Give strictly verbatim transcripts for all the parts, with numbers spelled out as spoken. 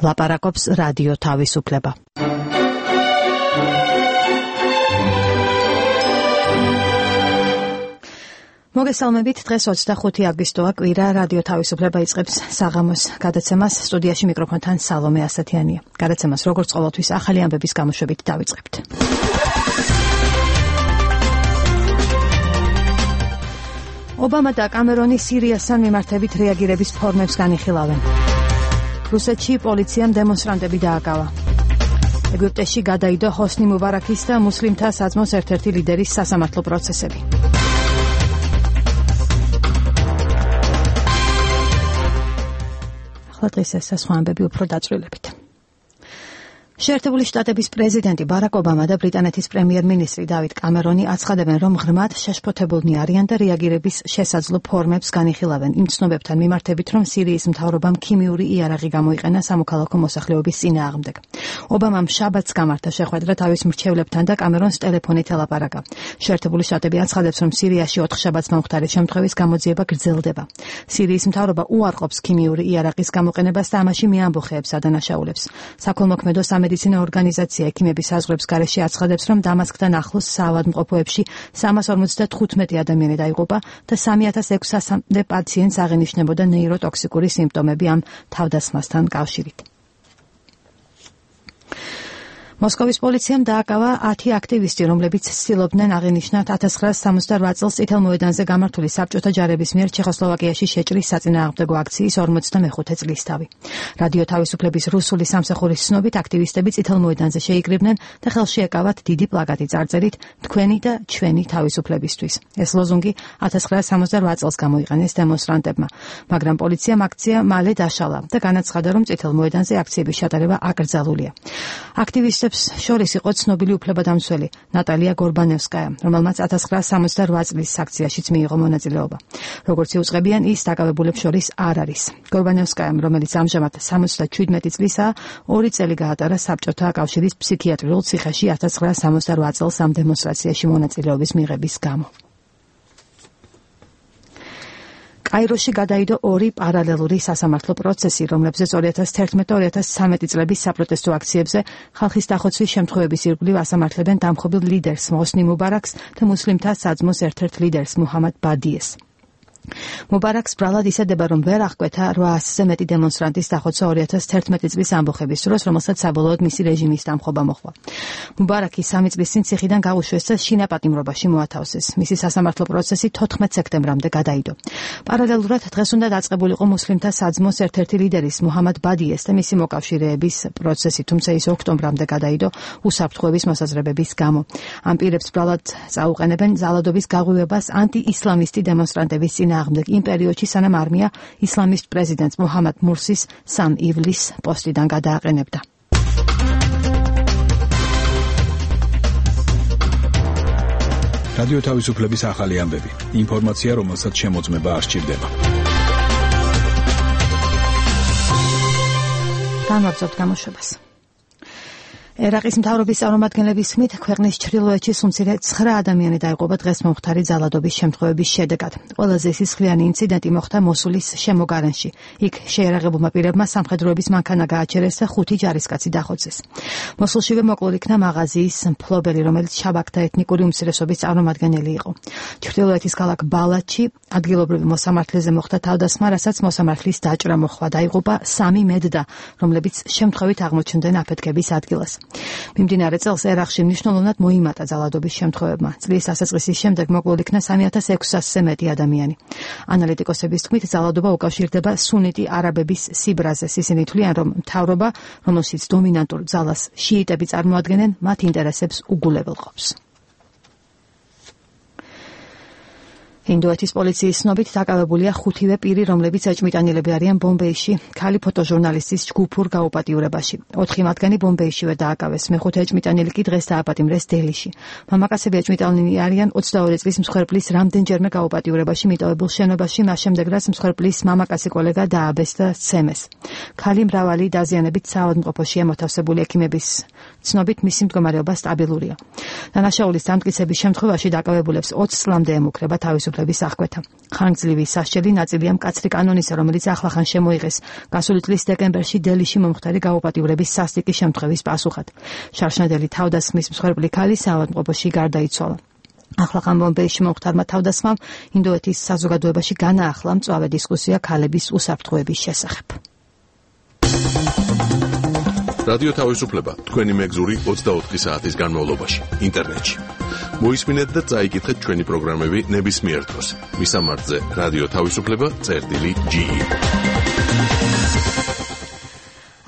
ლაპარაკობს რადიო თავისუფლება. მოგესალმებით, დღეს ოცდახუთი აგვისტოა, კვირა, რადიო თავისუფლება იწყებს საღამოს გადაცემას. სტუდიაში მიკროფონთან სალომე ასათიანია. გადაცემას როგორც ყოველთვის ახალი ამბების გამოშვებით დავიწყებთ. ობამა და კამერონი სირიასთან მიმართებით რეაგირების ფორმებს განიხილავენ. რუსეთში პოლიციამ დემონსტრანტები დააკავა. ეგვიპტეში გადაიდო ჰოსნი მუბარაქის და მუსლიმთა საძმოს ერთ-ერთი ლიდერის სასამართლო პროცესები. ახლა დღეს ეს სხვა ამბები უფრო დაწვრილებით. შეერთებული შტატების პრეზიდენტი ბარაკ ობამა და ბრიტანეთის პრემიერ-მინისტრი დავიდ კამერონი აცხადებენ, რომ ღრმად შეშფოთებულნი არიან და რეაგირების შესაძლო ფორმებს განიხილავენ იმ ცნობებთან მიმართებით, რომ სირიის მთავრობამ ქიმიური იარაღი გამოიყენა სამოქალაქო მოსახლეობის წინააღმდეგ. ობამამ შაბათს გამართა შეხვედრა თავის მრჩევლებთან და კამერონს ტელეფონით ელაპარაკა. შეერთებული შტატები აცხადებს, რომ სირიაში ოთხ შაბათს მომხდარი შემთხვევის გამოძიება გრძელდება. სირიის მთავრობა უარყოფს ქიმიური იარაღის გამოყენებას და ამაში მიამბოხეებს ადანაშაულებს. საქველმოქმედო სამედიცინო ორგანიზაცია ექიმების საზღვრებს გარეშე აცხადებს, რომ დამასკთან ახლოს საავადმყოფოებში სამას ორმოცდათხუთმეტი ადამიანი დაიღუპა და სამი ათას ექვსასამდე პაციენტს აღენიშნებოდა ნეიროტოქსიკური სიმპტომები ამ თავდასხმასთან კავშირით. მოსკოვის პოლიციამ დააკავა ათი აქტივისტი, რომლებიც ცდილობდნენ აღენიშნათ ათას ცხრაასი სამოცდაოთხ წელს წითელმოედანზე გამართული საბჭოთა ჯარების მიერ ჩეხოსლოვაკიაში შეჭრის საწინააღმდეგო აქციის ორმოცდამეხუთე წლისთავი. რადიო თავისუფლების რუსული სამსახურის ცნობით, აქტივისტები წითელმოედანზე შეიკრიბნენ და ხელში ეკავათ დიდი პლაკატი წარწერით „თქვენი და ჩვენი თავისუფლებისთვის“. ეს ლოზუნგი ათას ცხრაასი სამოცდაოთხ წელს გამოიყენეს დემონსტრანტებმა, მაგრამ პოლიციამ აქცია მალე დაშალა და განაცხადა, რომ წითელმოედანზე აქციების ჩატარება აკრძალულია. აქტივისტები შორის იყო ცნობილი უფლებადამცველი ნატალია გორბანევსკაია, რომელმაც ათას ცხრაასი სამოცდაოთხ წლის აქციაშიც მიიღო მონაწილეობა. როგორც იუწყებიან, ის დაკავებულებს შორის არ არის. გორბანევსკაიამ, რომელიც ამჟამად სამოცდაშვიდმეტი წლისაა, ორი წელი გაატარა საბჭოთა კავშირის ფსიქიატრიულ ციხეში ათას ცხრაასი სამოცდაოთხ წელს ამ დემონსტრაციაში მონაწილეობის მიღების გამო. კაიროში გადაიდო ორი პარალელური სასამართლო პროცესი, რომლებზეც ორი ათას თერთმეტ ორი ათას ცხრამეტი წლების საპროტესტო აქციებზე ხალხის დახოცვის შემთხვევების ირგვლივ ასამართლებენ დამხობილ ლიდერს ჰოსნი მუბარაქს და მუსლიმთა საძმოს ერთ-ერთ ლიდერს მუჰამად ბადიეს. მუბარაქს ბრალად ისედება, რომ ვერ აღკვეთა რვაასზე მეტი დემონსტრანტის დახოცა ორი ათას თერთმეტი წლის ამბოხების დროს, რომელსაც საბოლოოდ მისი რეჟიმის დამხობა მოჰყვა. მუბარაკი სამი წლის წინ ციხიდან გაუშვეს და შინაპატიმრობაში მოათავსეს. მისი სასამართლო პროცესი თოთხმეტ სექტემბრამდე გადაიდო. პარალელურად დღეს უნდა დაწყებულიყო მუსლიმთა საძმოს ერთ-ერთი ლიდერის მუჰამად ბადიეს და მისი მოკავშირეების პროცესი, თუმცა ის ოქტომბრამდე გადაიდო უსაფრთხოების მოსაზრებების გამო. ამ პირებს ბრალად წაუყენებენ ზალადობის გაღვივებას ანტიისლამისტი დემონსტრანტების წინააღმდეგ. აღმდეგ იმ პერიოდში, სანამ არმია ისლამისტ პრეზიდენტს მუჰამად მურსის სამ ივლისს პოსტიდან გადააყენებდა. რადიო თავისუფლების ახალი ამბები. ინფორმაცია, რომელსაც შემოწმება არ სჭირდება. განვაგრძობთ გამოშვებას. ერაყის მთავრობის წარმომადგენლების თქმით, ქვეყნის ჩრდილოეთში სულ ცხრა ადამიანი დაიღუპა დღეს მომხდარი ძალადობის შემთხვევების შედეგად. ყველაზე სისხლიანი ინციდენტი მოხდა მოსულის შემოგარენში. იქ შეიარაღებულმა პირებმა სამხედროების მანქანა გააჩერეს და ხუთი ჯარისკაცი დახოცეს. მოსულშივე მოკლულ იქნა მაღაზიის მფლობელი, რომელიც შაბაქთა ეთნიკური უმცირესობის წარმომადგენელი იყო. ჩრდილოეთის ქალაქ ბალათში ადგილობრივი მოსამართლეზე მოხდა თავდასხმა, რასაც მოსამართლის დაჭრა მოჰყვა. დაიღუპა სამი მედდა, რომლებიც შემთხვევით აღმოჩნდნენ აფეთქების ადგილას. მიმდინარე წელს ერაყში მნიშვნელოვნად მოიმატა ძალადობის შემთხვევებმა. წლის დასაწყისის შემდეგ მოკლულ იქნა სამი ათას ექვსასზე მეტი ადამიანი. ანალიტიკოსების თქმით, ძალადობა უკავშირდება სუნიტი არაბების სიბრაზეს. ისინი თვლიან, რომ მთავრობა, რომელშიც დომინანტურ ძალას შიიტები წარმოადგენენ, მათ ინტერესებს უგულებელყოფს. ინდოეთის პოლიციის ცნობით დაკავებულია ხუთივე პირი, რომლებიც ეჭვმიტანილები არიან ბომბეიში ქალი ფოტოჟურნალისტის ჯგუფურ გაუპატიურებაში. ოთხი მათგანი ბომბეიშივე დააკავეს, მეხუთე ეჭვმიტანილი კი დღეს დააპატიმრეს დელიში. მამაკაცები ეჭვმიტანილნი არიან ოცდაორი წლის მსხვერპლის რამდენჯერმე გაუპატიურებაში მიტოვებულ შენობაში, მას შემდეგ რაც მსხვერპლის მამაკაცი კოლეგა დააბეს და სცემეს. ქალი მრავალი დაზიანებით საავადმყოფოშია მოთავსებული ექიმების ცნობით მისი მდგომარეობა სტაბილურია. დანაშაულის დამტკიცების შემთხვევაში დაკავებულებს ოცი წლამდე ემუქრება თავისუფლების აღკვეთა. ხანგრძლივი სასჯელი ნაწილია მკაცრი კანონისა, რომელიც ახლახან შემოიღეს გასული წლის დეკემბერში დელიში მომხდარი გაუპატიურების სასტიკი შემთხვევის პასუხად. შარშნადელი თავდასხმის მსხვერპლი ქალი საავადმყოფოში გარდაიცვალა. ახლახან ბომბეიში მომხდარმა თავდასხმამ ინდოეთის საზოგადოებაში განაახლა მწვავე დისკუსია ქალების უსაფრთხოების შესახებ. რადიო თავისუფლება თქვენი მეგზური ოცდაოთხი საათის განმავლობაში ინტერნეტში. მოისმინეთ და წაიკითხეთ ჩვენი პროგრამები ნებისმიერ დროს. მისამართზე რადიო თავისუფლება წერტილი ჯი ი.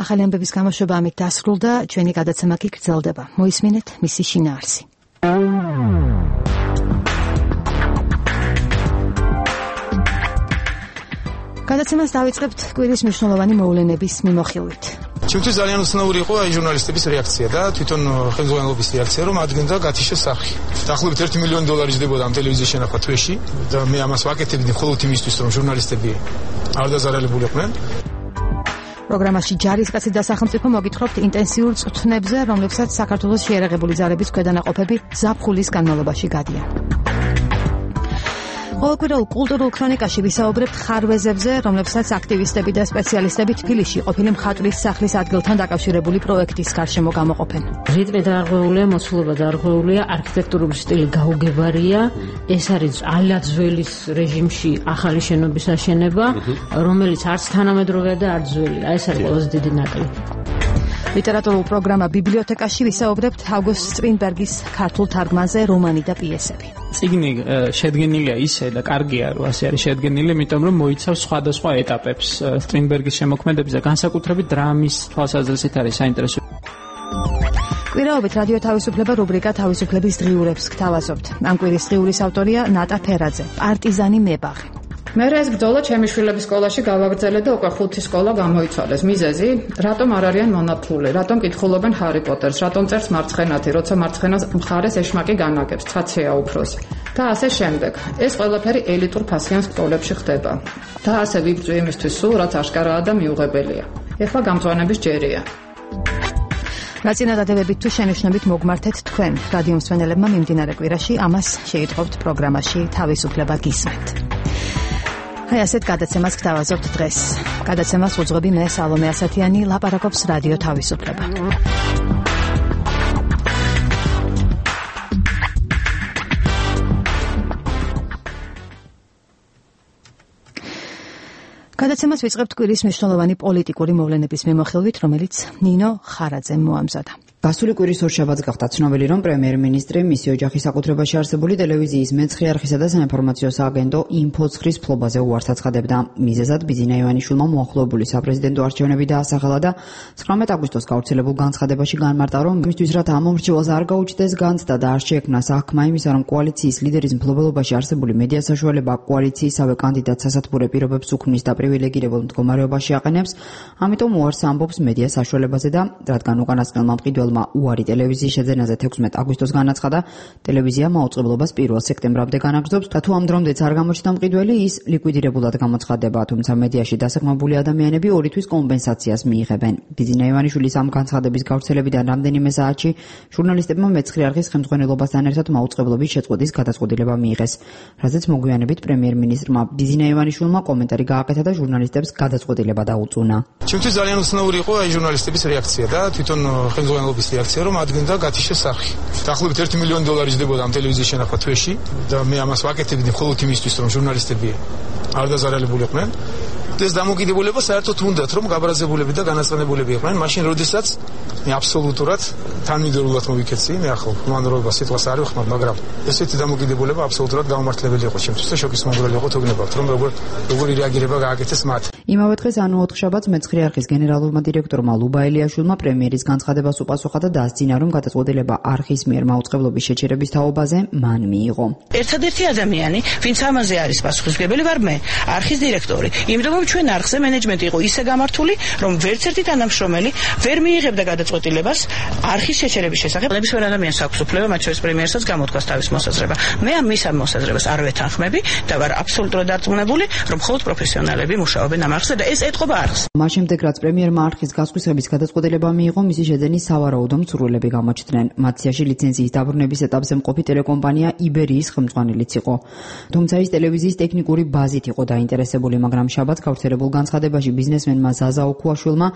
ახალი ამბების გამოშვება ამით დასრულდა, ჩვენი გადაცემა კი გრძელდება. მოისმინეთ მისი შინაარსი. გადაცემას დავიწყებთ კვირის მნიშვნელოვანი მოვლენების მიმოხილვით. ჩემთვის ძალიან უცნაური იყო აი ჟურნალისტების რეაქცია და თვითონ ხელმძღვანელობის რეაქცია, რომ ადგენდა გათიშეს სახი. დაახლოებით ერთი მილიონი დოლარი ჯდებოდა ამ ტელევიზიის შენახვა თვეში და მე ამას ვაკეთებდი მხოლოდ იმისთვის, რომ ჟურნალისტები არ დაზარალებულიყვნენ. პროგრამაში ჯარისკაცი და სახელმწიფო მოგითხრობთ ინტენსიურ წვრთნებზე, რომლებსაც საქართველოს შეიარაღებული ძალების ქვედანაყოფები ზაფხულის განმავლობაში გადიან. ყოველკვირეულ კულტურულ ქრონიკაში ვისაუბრებთ ხარვეზებზე, რომლებსაც აქტივისტები და სპეციალისტები თბილისში ყოფილი მხატვრის სახლის ადგილთან დაკავშირებული პროექტის გარშემო გამოყოფენ. რიტმი დაარღვეულია, მოცულობა დაარღვეულია, არქიტექტურული სტილი გაუგებარია. ეს არის ალაძველის რეჟიმში ახალი შენობის აშენება, რომელიც არც თანამედროვეა და არც ძველია. ეს არის ყველაზე დიდი ნაკლი. ლიტერატურულ პროგრამა ბიბლიოთეკაში ვისაუბრებთ ავგუსტ სტრინბერგის ქართულ თარგმანზე რომანი და პიესები. წიგნი შედგენილია ისე და კარგია რომ ასე არის შედგენილი, იმიტომ რომ მოიცავს სხვადასხვა ეტაპებს. სტრინბერგის შემოქმედების და განსაკუთრებით დრამის თვალსაზრისით არის საინტერესო. კვირაობით რადიო თავისუფლება რუბრიკა თავისუფლების დღიურებს გთავაზობთ. ამ კვირის დღიურის ავტორია ნატა ფერაძე, პარტიზანი მებაღი. მე ეს ბრძოლა ჩემი შვილების სკოლაში გავაგრძელე და უკვე ხუთი სკოლა გამოიცვალეს. მიზეზი, რატომ არ არიან მონათლული, რატომ კითხულობენ ჰარი პოტერს, რატომ წერს მარცხენათი, როცა მარცხენას მხარეს ეშმაკი განაგებს, ცხაცია უფროსი. და ასე შემდეგ. ეს ყველაფერი ელიტურ ფასიან სკოლებში ხდება. და ასე ვიბრძვი იმისთვის სულ, რაც აშკარაა და მიუღებელია. ეხლა გამწვანების ჯერია. რაწინადადებებით თუ შენიშვნებით მოგმართეთ თქვენ, რადიო მსმენელებმა მიმდინარე კვირაში, ამას შეიტყობთ პროგრამაში თავისუფლება გისმენთ. აი ასეთ გადაცემას გთავაზობთ დღეს. გადაცემას უძღვები მე სალომე ასათიანი, ლაპარაკობს რადიო თავისუფლება. გადაცემას ვიწყებთ კვირის მნიშვნელოვანი პოლიტიკური მოვლენების მიმოხილვით, რომელიც ნინო ხარაძემ მოამზადა. გასული კვირის ორშაბათს გახდა ცნობილი, რომ პრემიერ-მინისტრი მისი ოჯახის საკუთრებაში არსებული ტელევიზიის მეცხრე არხისა და საინფორმაციო სააგენტო ინფოცხრის ფლობაზე უარს აცხადებდა. მიზეზად ბიძინა ივანიშვილმა მოახლოებული საპრეზიდენტო არჩევნები დაასახელა და ცხრამეტ აგვისტოს გავრცელებულ განცხადებაში განმარტა, რომ იმისთვის რათა ამ მომრჩეველს არ გაუჩნდეს განცდა და არ შეექმნა საქმე იმისა, რომ კოალიციის ლიდერის მფლობელობაში არსებული მედია საშუალება კოალიციისავე კანდიდატს სასათბურე პირობებს უქმნის და პრივილეგირებულ მდგომარეობაში აყენებს, ამიტომ უარს ამბობს მედია საშუალებაზე და რადგან უკანასკნელმა მყიდველმა უარი ტელევიზიის შეძენაზე თექვსმეტ აგვისტოს განაცხადა, ტელევიზია მაუწყებლობას პირველ სექტემბრამდე განაგრძობს და თუ ამ დრომდეც არ გამოჩნდა მყიდველი, ის ლიკვიდირებულად გამოცხადდება, თუმცა მედიაში დასაქმებული ადამიანები ორი თვის კომპენსაციას მიიღებენ. ბიძინა ივანიშვილის ამ განცხადების გავრცელებიდან რამდენიმე საათში ჟურნალისტებმა მეცხრე არხის ხელმძღვანელობასთან ერთად მაუწყებლობის შეწყვეტის გადაწყვეტილება მიიღეს, რაზეც მოგვიანებით პრემიერ-მინისტრმა ბიძინა ივანიშვილმა კომენტარი გააკეთა და ჟურნალისტებს გადაწყვეტილება დაუწუნა. ჩემთვის ძალიან უცნაური იყო აი ჟურნალისტების რეაქცია და თვითონ ხელმძღვანელობის რეაქცია, რომ ადგენდა გათიშეს სახი. დაახლოებით ერთი მილიონი დოლარი ჯდებოდა ამ ტელევიზიის შენახვა თვეში და მე ამას ვაკეთებდი მხოლოდ იმისთვის, რომ ჟურნალისტები არ დაზარალებულიყვნენ. ეს დამოკიდებულება საერთოდ უნდათ, რომ გაბრაზებულები და განაცხადებულები იყვნენ, მაშინ როდესაც მე აბსოლუტურად თანმიმდევრულად მოვიქეცი, მე ახლა ხმანრობა სიტყვას არ ვიხმარ, მაგრამ ესეთი დამოკიდებულება აბსოლუტურად გამართლებელი იყო ჩემთვის და შოკის მომგვრელი იყო, თუ გნებავთ, რომ როგორ როგორი რეაგირება გააკეთეს მათ. იმავე დღეს ანუ ოთხშაბათს მეცხრე არხის გენერალურმა დირექტორმა ლუბა ელიაშვილმა პრემიერის განცხადებას უპასუხა და დაასძინა, რომ გადაწყვეტილება არხის მიერ მაუწყებლობის შეჩერების თაობაზე მან მიიღო. ერთადერთი ადამიანი, ვინც ამაზე არის პასუხისმგებელი, ვარ მე, არხის დირექტორი. იმიტომ რომ ჩვენ არხზე მენეჯმენტი იყო ისე გამართული, რომ ვერც ერთი თანამშრომელი ვერ მიიღებდა გადაწყვეტილებას არხის შეჩერების შესახებ. ნებისმიერ ადამიანს აქვს უფლება, მათ შორის პრემიერსაც გამოთქვას თავის მოსაზრება. მე ამ მის ამ მოსაზრებას არ ვეთანხმები და ვარ აბსოლუტურად დარწმუნებული, რომ მხოლოდ პროფესიონალები მუშაობენ ამ არხზე და ეს ეთყობა არხს. მას შემდეგ რაც პრემიერმა არხის გასხვისების გადაწყვეტილება მიიღო, მისი შეძენის სავარაუდო მცურველები გამოჩნდნენ. მათ სიაში ლიცენზიის დაბრუნების ეტაპზე მყოფი ტელეკომპანია იბერიის ხელმძღვანელიც იყო. თუმცა ის ტელევიზიის ტექნიკური ბაზით იყო დაინტერესებული, მაგრამ შაბათს გავრცელებულ განცხადებაში ბიზნესმენმა ზაზა ოქუაშვილმა,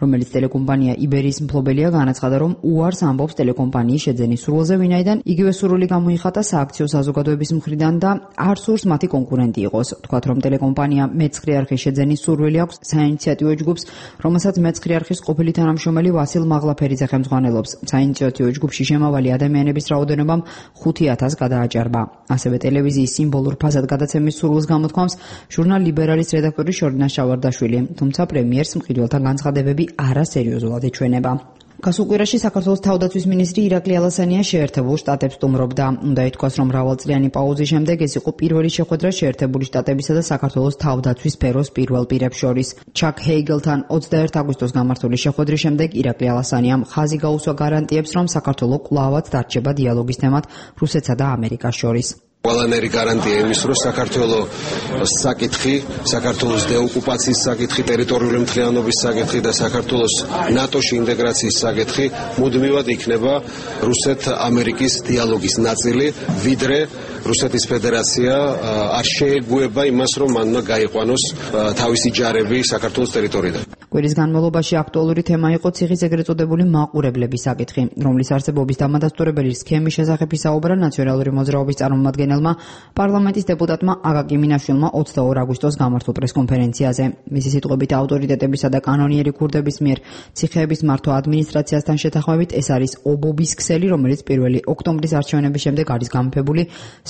რომელიც ტელეკომპანია იბერიის მფლობელია, განაცხადა, რომ უარს ამბობს ტელეკომპანიის შეძენის სურვილზე, ვინაიდან იგივე სურვილი გამოიხატა სააქციო საზოგადოების მხრიდან და არ სურს მათი კონკურენტი იყოს. თქვათ, რომ ტელეკომპანია მეცხრე არხის შეძენის სურვილი აქვს საინიციატივო ჯგუფს, რომელსაც მეცხრე არხის ყოფილი თანამშრომელი ვასილ მაღლაფერიძე ხელმძღვანელობს. საინიციატივო ჯგუფში შემავალი ადამიანების რაოდენობამ ხუთი ათასს გადააჭარბა. ასევე ტელევიზიის სიმბოლურ ფასად გადაცემის სურვილს გამოთქვამს ჟურნალ ლიბერალის რედაქტორი შორინა შავარდაშვილი, თუმცა პრემიერს მყიდველთა განცხადებები არასერიოზულად ეჩვენება. გასულ კვირაში საქართველოს თავდაცვის მინისტრი ირაკლი ალასანია შეერთებულ შტატებს სტუმრობდა. უნდა ითქვას, რომ მრავალწლიანი პაუზის შემდეგ ეს იყო პირველი შეხვედრა შეერთებული შტატებისა და საქართველოს თავდაცვის სფეროს პირველ პირებს შორის. ჩაკ ჰეიგელთან ოცდაერთი აგვისტოს გამართული შეხვედრის შემდეგ ირაკლი ალასანიამ ხაზი გაუსვა გარანტიებს, რომ საქართველო კვლავაც დარჩება დიალოგის თემად რუსეთსა და ამერიკას შორის. ყველანაირი გარანტია იმის, რომ საქართველოს საკითხი, საქართველოს დეოკუპაციის საკითხი, ტერიტორიული მთლიანობის საკითხი და საქართველოს ნატოში ინტეგრაციის საკითხი მუდმივად იქნება რუსეთ-ამერიკის დიალოგის ნაწილი, ვიდრე რუსეთის ფედერაცია არ შეეგუება იმას, რომ მან უნდა გაიყვანოს თავისი ჯარები საქართველოს ტერიტორიიდან. კვირის განმავლობაში აქტუალური თემა იყო ციხის ეგრეთ წოდებული მაყურებლების საკითხი, რომლის არსებობის დამადასტურებელი სქემის შესახებ ისაუბრა ნაციონალური მოძრაობის წარმომადგენელმა პარლამენტის დეპუტატმა აკაკი მინაშვილმა ოცდაორი აგვისტოს გამართულ პრესკონფერენციაზე. მისი სიტყვებით ავტორიტეტებისა და კანონიერი ქურდების მიერ ციხეების მართვა ადმინისტრაციასთან შეთანხმებით ეს არის ობობის ქსელი, რომელიც პირველი ოქტომბრის არჩევნების შემდეგ არის გამეფებული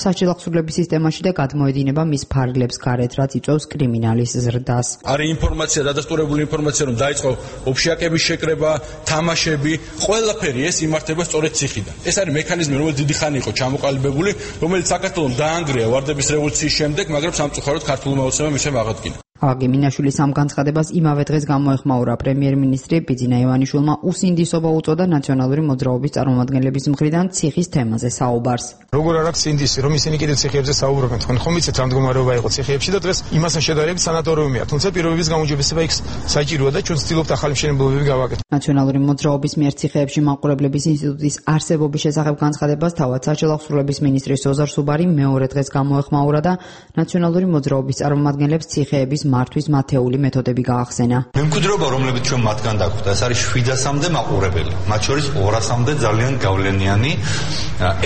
საჭილახსრულების სისტემაში და გადმოედინება მის ფარგლებს გარეთ, რაც იწვევს კრიმინალის ზრდას. არის ინფორმაცია, დადასტურებული ინფორმაცია, რომ დაიწყო ოფშიაკების შეკრება, თამაშები, ყველაფერი ეს იმართება სწორედ ციხიდან. ეს არის მექანიზმი, რომელიც დიდი ხანი იყო ჩამოყალიბებული, რომელიც საქართველოს დაანგრია ვარდების რევოლუციის შემდეგ, მაგრამ სამწუხაროდ ქართულმა ოცნებამ ისევ აღადგინა. აკაკი მინაშვილის ამ განცხადებას იმავე დღეს გამოეხმაურა პრემიერ-მინისტრი ბიძინა ივანიშვილმა უსინდისობა უწოდა ნაციონალური მოძრაობის წარმომადგენლების მხრიდან ციხის თემაზე საუბარს. როგორ არ აქვს სინდისი, რომ ისინი კიდევ ციხეებზე საუბრობენ, თქვენ ხომ იცით რა მდგომარეობა იყო ციხეებში და დღეს იმასთან შედარებით სანატორიუმია, თუმცა პირობების გაუმჯობესება იქ საჭიროა და ჩვენ ვცდილობთ ახალი მშენებლობები გავაკეთოთ. ნაციონალური მოძრაობის მიერ ციხეებში მაყურებლების ინსტიტუტის არსებობის შესახებ განცხადებას თავად საჭილახსრულების მინისტრი სოზარ სუბარი მეორე დღეს გამოეხმაურა და ნაციონალური მოძრაობის წარმომადგენლებს ციხეების მართვის მათეული მეთოდები გაახსენა. მემკვიდრეობა, რომლებიც ჩვენ მათგან დაგვხვდა, ეს არის შვიდასამდე მაყურებელი, მათ შორის ორასამდე ძალიან გავლენიანი.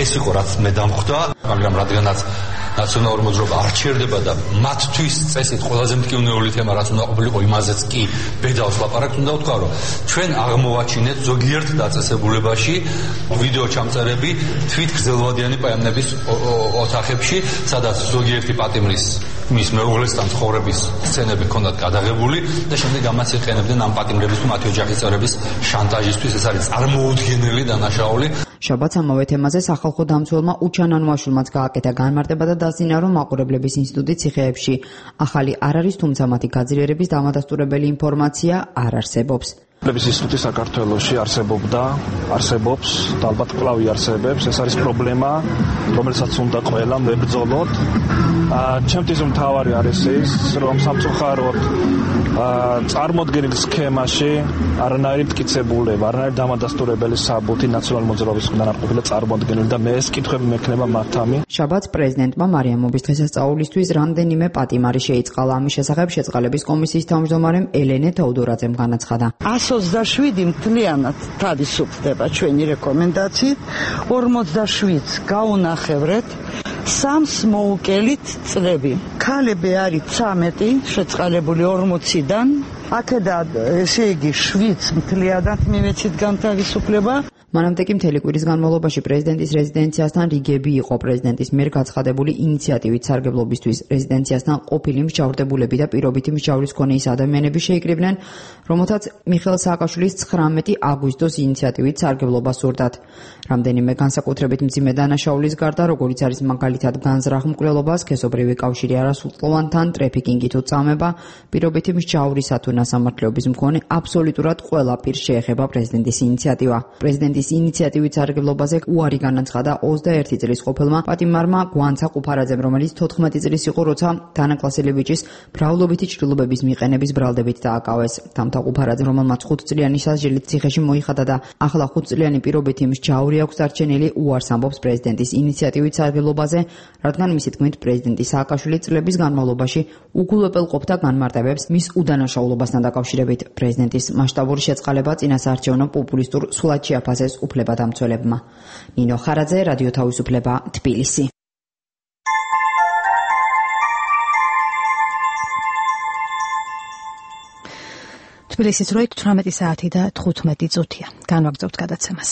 ეს იყო რაც მე დამხვდა, მაგრამ რადგანაც ნაციონალური მოძრაობა არ ჩერდება და მათთვის წესით ყველაზე მტკივნეული თემა რაც უნდა ყოფილიყო, იმაზეც კი ბედავს ლაპარაკს, უნდა ვთქვა, რომ ჩვენ აღმოვაჩინეთ ზოგიერთ დაწესებულებაში ვიდეო ჩამწერები თვითგრძელვადიანი პაემნების ოთახებში, სადაც ზოგიერთი პატიმრის მის მეუღლესთან ცხოვრების სცენები ჰქონდათ გადაღებული და შემდეგ ამას იყენებდნენ ამ პატიმრების თუ მათი ოჯახის წევრების შანტაჟისთვის. ეს არის წარმოუდგენელი დანაშაული. შაბათს ამავე თემაზე სახალხო დამცველმა უჩან ანუაშვილმაც გააკეთა განმარტება და დასძინა, რომ მაყურებლების ინსტიტუტი ციხეებში ახალი არ არის, თუმცა მათი გაძლიერების დამადასტურებელი ინფორმაცია არ არსებობს. მაყურებლების ინსტიტუტი საქართველოში არსებობდა, არსებობს და ალბათ კვლავ იარსებებს. ეს არის პრობლემა, რომელსაც უნდა ყველამ ვებრძოლოთ. ჩემთვის მთავარი არის ის, რომ სამწუხაროდ წარმოდგენილ სქემაში არანაირი მტკიცებულება, არანაირი დამადასტურებელი საბუთი ნაციონალური მოძრაობის მხრიდან არ ყოფილა წარმოდგენილი და მე ეს კითხვები მექნება მართამი. შაბათს პრეზიდენტმა მარიამობის დღესასწაულისთვის რამდენიმე პატიმარი შეიწყალა. ამის შესახებ შეწყალების კომისიის თავმჯდომარემ ელენე თეოდორაძემ განაცხადა. ოცდაშვიდი მთლიანად თავისუფლდება ჩვენი რეკომენდაციით, ორმოცდაშვიდს გაუნახევრეთ, სამს მოუკელით წლები. ქალები არის ცამეტი, შეწყალებული ორმოციდან, აქედან ესე იგი შვიდს მთლიანად მივეცით განთავისუფლება. მანამდე კი მთელი კვირის განმავლობაში პრეზიდენტის რეზიდენციასთან რიგები იყო პრეზიდენტის მიერ გაცხადებული ინიციატივით სარგებლობისთვის. რეზიდენციასთან ყოფილი მსჯავრდებულები და პირობითი მსჯავრის მქონე ის ადამიანები შეიკრიბნენ, რომელთაც მიხეილ სააკაშვილის ცხრამეტი აგვისტოს ინიციატივით სარგებლობა სურდათ. რამდენიმე განსაკუთრებით მძიმე დანაშაულის გარდა, როგორიც არის მაგალითად განზრახ მკვლელობა, სქესობრივი კავშირი არასრულწლოვანთან, ტრეფიკინგი თუ წამება, პირობითი მსჯავრისა თუ ნასამართლეობის მქონე აბსოლუტურად ყველა პირს შეეხება პრეზიდენტის ინიციატივა. პრეზიდენტის პრეზიდენტის ინიციატივით სარგებლობაზე უარი განაცხადა ოცდაერთი წლის ყოფილმა პატიმარმა გვანცა ყუფარაძემ, რომელიც თოთხმეტი წლის იყო, როცა დანაკლასელევიჩის ბრალობითი ჭრილობების მიყენების ბრალდებით დააკავეს. თამთა ყუფარაძემ, რომელმაც ხუთწლიანი სასჯელით ციხეში მოიხადა და ახლა ხუთწლიანი პირობით იმ მსჯავრი აქვს დარჩენილი, უარს ამბობს პრეზიდენტის ინიციატივით სარგებლობაზე, რადგან მისი თქმით პრეზიდენტი სააკაშვილი წლების განმავლობაში უგულებელყოფდა განმარტებებს მის უდანაშაულობასთან დაკავშირებით. პრეზიდენტის მასშტაბური შეწყალება წინასაარჩევნო პოპულისტურ სვლად შეაფასეს უფლებადამცველებმა. ნინო ხარაძე, რადიო თავისუფლება, თბილისი. თბილისის დროით თვრამეტი საათი და თხუთმეტი წუთია. განვაგრძობთ გადაცემას.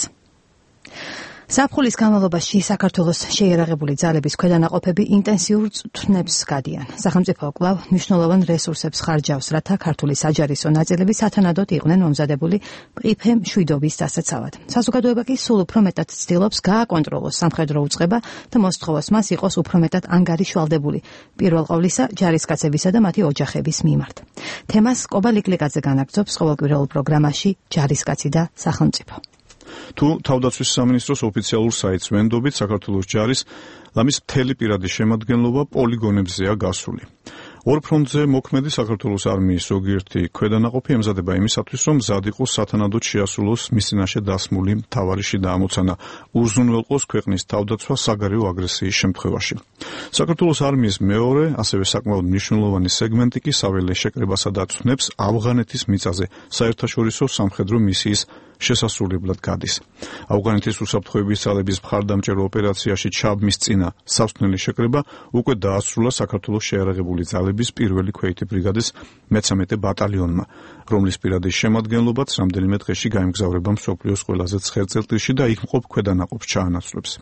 ზაფხულის განმავლობაში საქართველოს შეიარაღებული ძალების ქვედანაყოფები ინტენსიურ წვნებს გადიან. სახელმწიფო კვლავ მნიშვნელოვან რესურსებს ხარჯავს, რათა ქართული საჯარისო ნაწილები სათანადოდ იყვნენ მომზადებული ყიფე მშვიდობის დასაცავად. საზოგადოება კი სულ უფრო მეტად ცდილობს გააკონტროლოს სამხედრო უწყება და მოსთხოვოს მას იყოს უფრო მეტად ანგარიშვალდებული, პირველ ყოვლისა ჯარისკაცებისა და მათი ოჯახების მიმართ. თემას კობა ლიკლიკაძე განაგრძობს ყოველკვირეულ პროგრამაში ჯარისკაცი და სახელმწიფო. თუ თავდაცვის სამინისტროს ოფიციალურ საიტს ვენდობით, საქართველოს ჯარის ლამის მთელი პირადი შემადგენლობა პოლიგონებზეა გასული. ორ ფრონტზე მოქმედი საქართველოს არმიის ზოგიერთი ქვედანაყოფი ემზადება იმისათვის, რომ მზად იყოს სათანადოდ შეასრულოს მის წინაშე დასმული მთავარი შიდა ამოცანა, უზრუნველყოს ქვეყნის თავდაცვა საგარეო აგრესიის შემთხვევაში. საქართველოს არმიის მეორე, ასევე საკმაოდ მნიშვნელოვანი სეგმენტი კი საველე შეკრებასა და ცვნებს ავღანეთის მიწაზე საერთაშორისო სამხედრო მისიის შესასრულებლად გადის. ავღანეთის უსაფრთხოების ძალების მხარდამჭერო ოპერაციაში ჩაბმის წინა სასწნელი შეკრება უკვე დაასრულა საქართველოს შეიარაღებული ძალების პირველი ქვეითი ბრიგადის მეცამეტე ბატალიონმა, რომლის პირადი შემადგენლობაც რამდენიმე დღეში გაემგზავრება მსოფლიოს ყველაზე ცხელ წერტილში და იქ მყოფ ქვედანაყოფს ჩაანაცვლებს.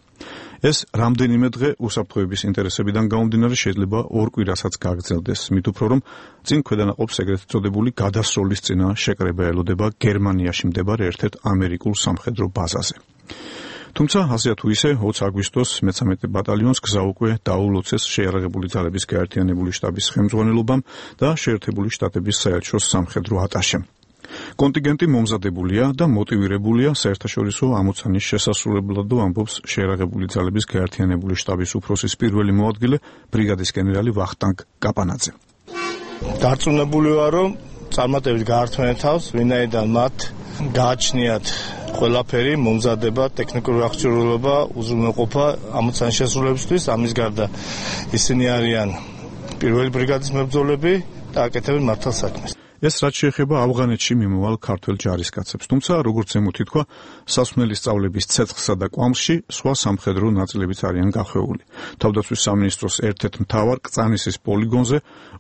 ეს რამდენიმე დღე უსაფრთხოების ინტერესებიდან გამომდინარე შეიძლება ორ კვირასაც გაგრძელდეს, მით უფრო რომ წინ ქვედანაყოფს ეგრეთ წოდებული გადასროლის წინა შეკრება ელოდება გერმანიაში მდებარე ერთ-ერთ ამერიკულ სამხედრო ბაზაზე. თუმცა ასე თუ ისე ოცი აგვისტოს მეცამეტე ბატალიონს გზა უკვე დაულოცეს შეიარაღებული ძალების გაერთიანებული შტაბის ხელმძღვანელობამ და შეერთებული შტატების საელჩოს სამხედრო ატაშემ. კონტინგენტი მომზადებულია და მოტივირებულია საერთაშორისო ამოცანის შესასრულებლად, ამბობს შეიარაღებული ძალების გაერთიანებული შტაბის უფროსის პირველი მოადგილე ბრიგადის გენერალი ვახტანგ კაპანაძე. დარწმუნებული ვარ, რომ წარმატებით გაართმევენ თავს, ვინაიდან მათ გააჩნიათ ყველაფერი, მომზადება, ტექნიკური აღჭურვილობა, უზრუნველყოფა ამოცანის შესრულებისთვის. ამის გარდა ისინი არიან პირველი ბრიგადის მებრძოლები და აკეთებენ მართალ საქმეს. ეს რაც შეეხება ავღანეთში მიმოვალ ქართველ ჯარისკაცებს, თუმცა როგორც ზემოთ ითქვა, სასმელი სწავლების ცეცხლსა და კვამლში სხვა სამხედრო ნაწილებიც არიან გახვეული. თავდაცვის სამინისტროს ერთ-ერთ მთავარ კწანისის პოლიგონზე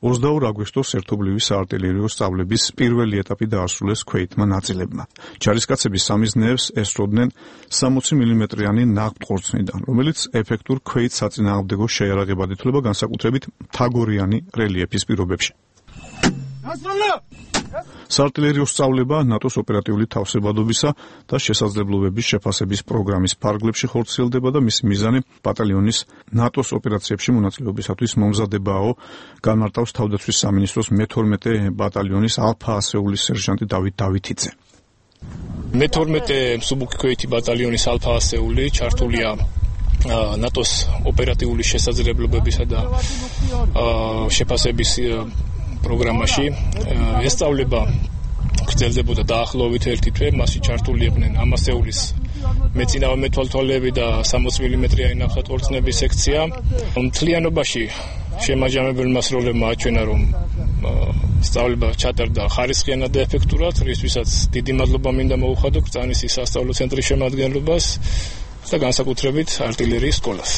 ოცდაორ აგვისტოს ერთობლივი საარტილერიო სწავლების პირველი ეტაპი დაასრულეს ქვეითმა ნაწილებმა. ჯარისკაცები სამიზნეებს ესწროდნენ სამოცი მილიმეტრიანი ნაღმტყორცნიდან, რომელიც ეფექტურ ქვეით საწინააღმდეგო შეიარაღებად ითვლება განსაკუთრებით მთაგორიანი რელიეფის პირობებში. საარტილერიო სწავლება ნატოს ოპერატიული თავსებადობისა და შესაძლებლობების შეფასების პროგრამის ფარგლებში ხორციელდება და მისი მიზანი ბატალიონის ნატოს ოპერაციებში მონაწილეობისათვის მომზადებაო, განმარტავს თავდაცვის სამინისტროს მეთორმეტე ბატალიონის ალფა ასეულის სერჟანტი დავით დავითიძე. მეთორმეტე მსუბუქი ქვეითი ბატალიონის ალფა ასეული ჩართულია ნატოს ოპერატიული შესაძლებლობებისა და შეფასების პროგრამაში. ეს სწავლება გრძელდებოდა დაახლოებით ერთი თვე, მასში ჩართული იყვნენ ამასეულის მეწინავე მეთვალთვალეები და სამოცი მილიმეტრიანი ნახატყორცნების სექცია. მთლიანობაში შემაჯამებელმა სროლებმა აჩვენა, რომ სწავლება ჩატარდა ხარისხიანად და ეფექტურად, რისთვისაც დიდი მადლობა მინდა მოუხადო კრწანისის სასწავლო ცენტრის შემადგენლობას და განსაკუთრებით არტილერიის სკოლას.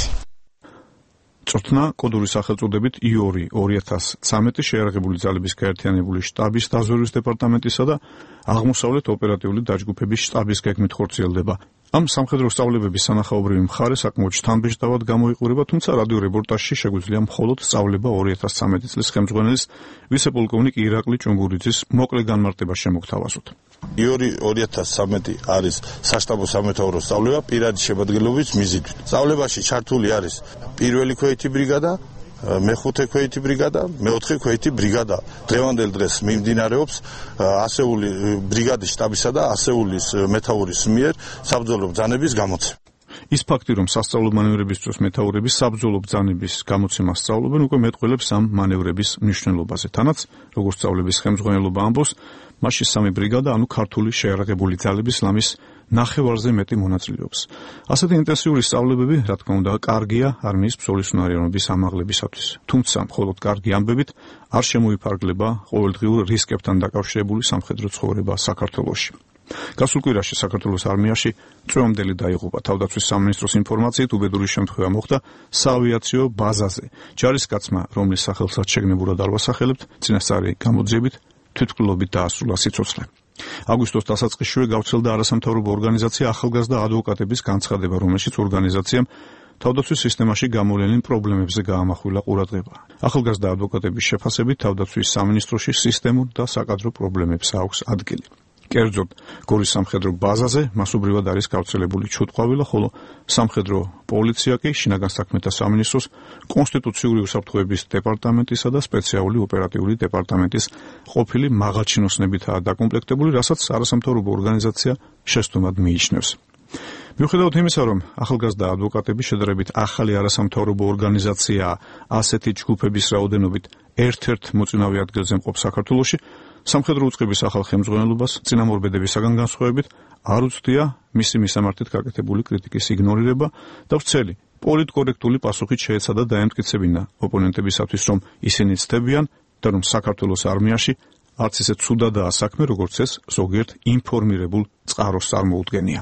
წვრთნა კოდური სახელწოდებით ი ორი ორი ათას ცხრამეტი შეიარაღებული ძალების გაერთიანებული შტაბის დაზვერვის დეპარტამენტისა და აღმოსავლეთ ოპერატიული დაჯგუფების შტაბის გეგმით ხორციელდება. ამ სამხედრო სწავლებების სანახაობრივი მხარე საკმაოდ შთამბეჭდავად გამოიყურება, თუმცა რადიო რეპორტაჟში შეგვიძლია მხოლოდ სწავლება ორი ათას ცხრამეტი წლის ხელმძღვანელის ვიცე-პოლკოვნიკ ირაკლი ჭუმბურიძის მოკლე განმარტება შემოგთავაზოთ. ი ორი ორი ათას ცხრამეტი არის საშტაბო სამეთაურო სწავლება პირადი შემადგენლობის მიზიდვით. სწავლებაში ჩართული არის პირველი ქვეითი ბრიგადა, მეხუთე ქვეითი ბრიგადა, მეოთხე ქვეითი ბრიგადა. დღევანდელ დღეს მიმდინარეობს ასეული ბრიგადის შტაბისა და ასეულის მეთაურის მიერ საბრძოლო ბრძანების გამოცემა. ის ფაქტი, რომ სასწავლო მანევრების დროს მეთაურები საბრძოლო ბრძანების გამოცემას სწავლობენ, უკვე მეტყველებს ამ მანევრების მნიშვნელობაზე. თანაც, როგორც სწავლების ხელმძღვანელობა ამბობს, მასში სამი ბრიგადა, ანუ ქართული შეიარაღებული ძალების ლამის ნახევარზე მეტი მონაწილეობს. ასეთი ინტენსიური სწავლებები, რა თქმა უნდა, კარგია არმიის ბრძოლისუნარიანობის ამაღლებისათვის. თუმცა, მხოლოდ კარგი ამბებით არ შემოიფარგლება ყოველდღიურ რისკებთან დაკავშირებული სამხედრო ცხოვრება საქართველოში. გასულ კვირაში საქართველოს არმიაში წვევამდელი დაიღუპა. თავდაცვის სამინისტროს ინფორმაციით, უბედური შემთხვევა მოხდა საავიაციო ბაზაზე. ჯარისკაცმა, რომლის სახელსაც შეგნებურად არ ვასახელებთ, წინასწარი გამოძიებით თვითმკვლელობით დაასრულა სიცოცხლე. აგვისტოს დასაწყისშივე გავრცელდა არასამთავრობო ორგანიზაცია ახალგაზრდა ადვოკატების განცხადება, რომელშიც ორგანიზაციამ თავდაცვის სისტემაში გამოვლენილ პრობლემებზე გაამახვილა ყურადღება. ახალგაზრდა ადვოკატების შეფასებით თავდაცვის სამინისტროში სისტემურ და საკადრო პრობლემებს აქვს ადგილი. კერძოდ, გორის სამხედრო ბაზაზე მასობრივად არის გავრცელებული ჩუტყვავილა, ხოლო სამხედრო პოლიცია კი შინაგან საქმეთა სამინისტროს კონსტიტუციური უსაფრთხოების დეპარტამენტისა და სპეციალური ოპერატიული დეპარტამენტის ყოფილი მაღალჩინოსნებითაა დაკომპლექტებული, რასაც არასამთავრობო ორგანიზაცია შეცდომად მიიჩნევს. მიუხედავად იმისა, რომ ახალგაზრდა ადვოკატები შედარებით ახალი არასამთავრობო ორგანიზაციაა, ასეთი ჯგუფების რაოდენობით ერთ-ერთ მოწინავე ადგილზე მყოფ საქართველოში, სამხედრო უწყების ახალ ხელმძღვანელობას წინამორბედებისაგან განსხვავებით არ უცდია მისი მისამართით გაკეთებული კრიტიკის იგნორირება და ვრცელი პოლიტკორექტული პასუხით შეეცადა დაემტკიცებინა ოპონენტებისათვის, რომ ისინი ცდებიან და რომ საქართველოს არმიაში არც ისე ცუდადაა საქმე, როგორც ეს ზოგიერთ ინფორმირებულ წყაროს წარმოუდგენია.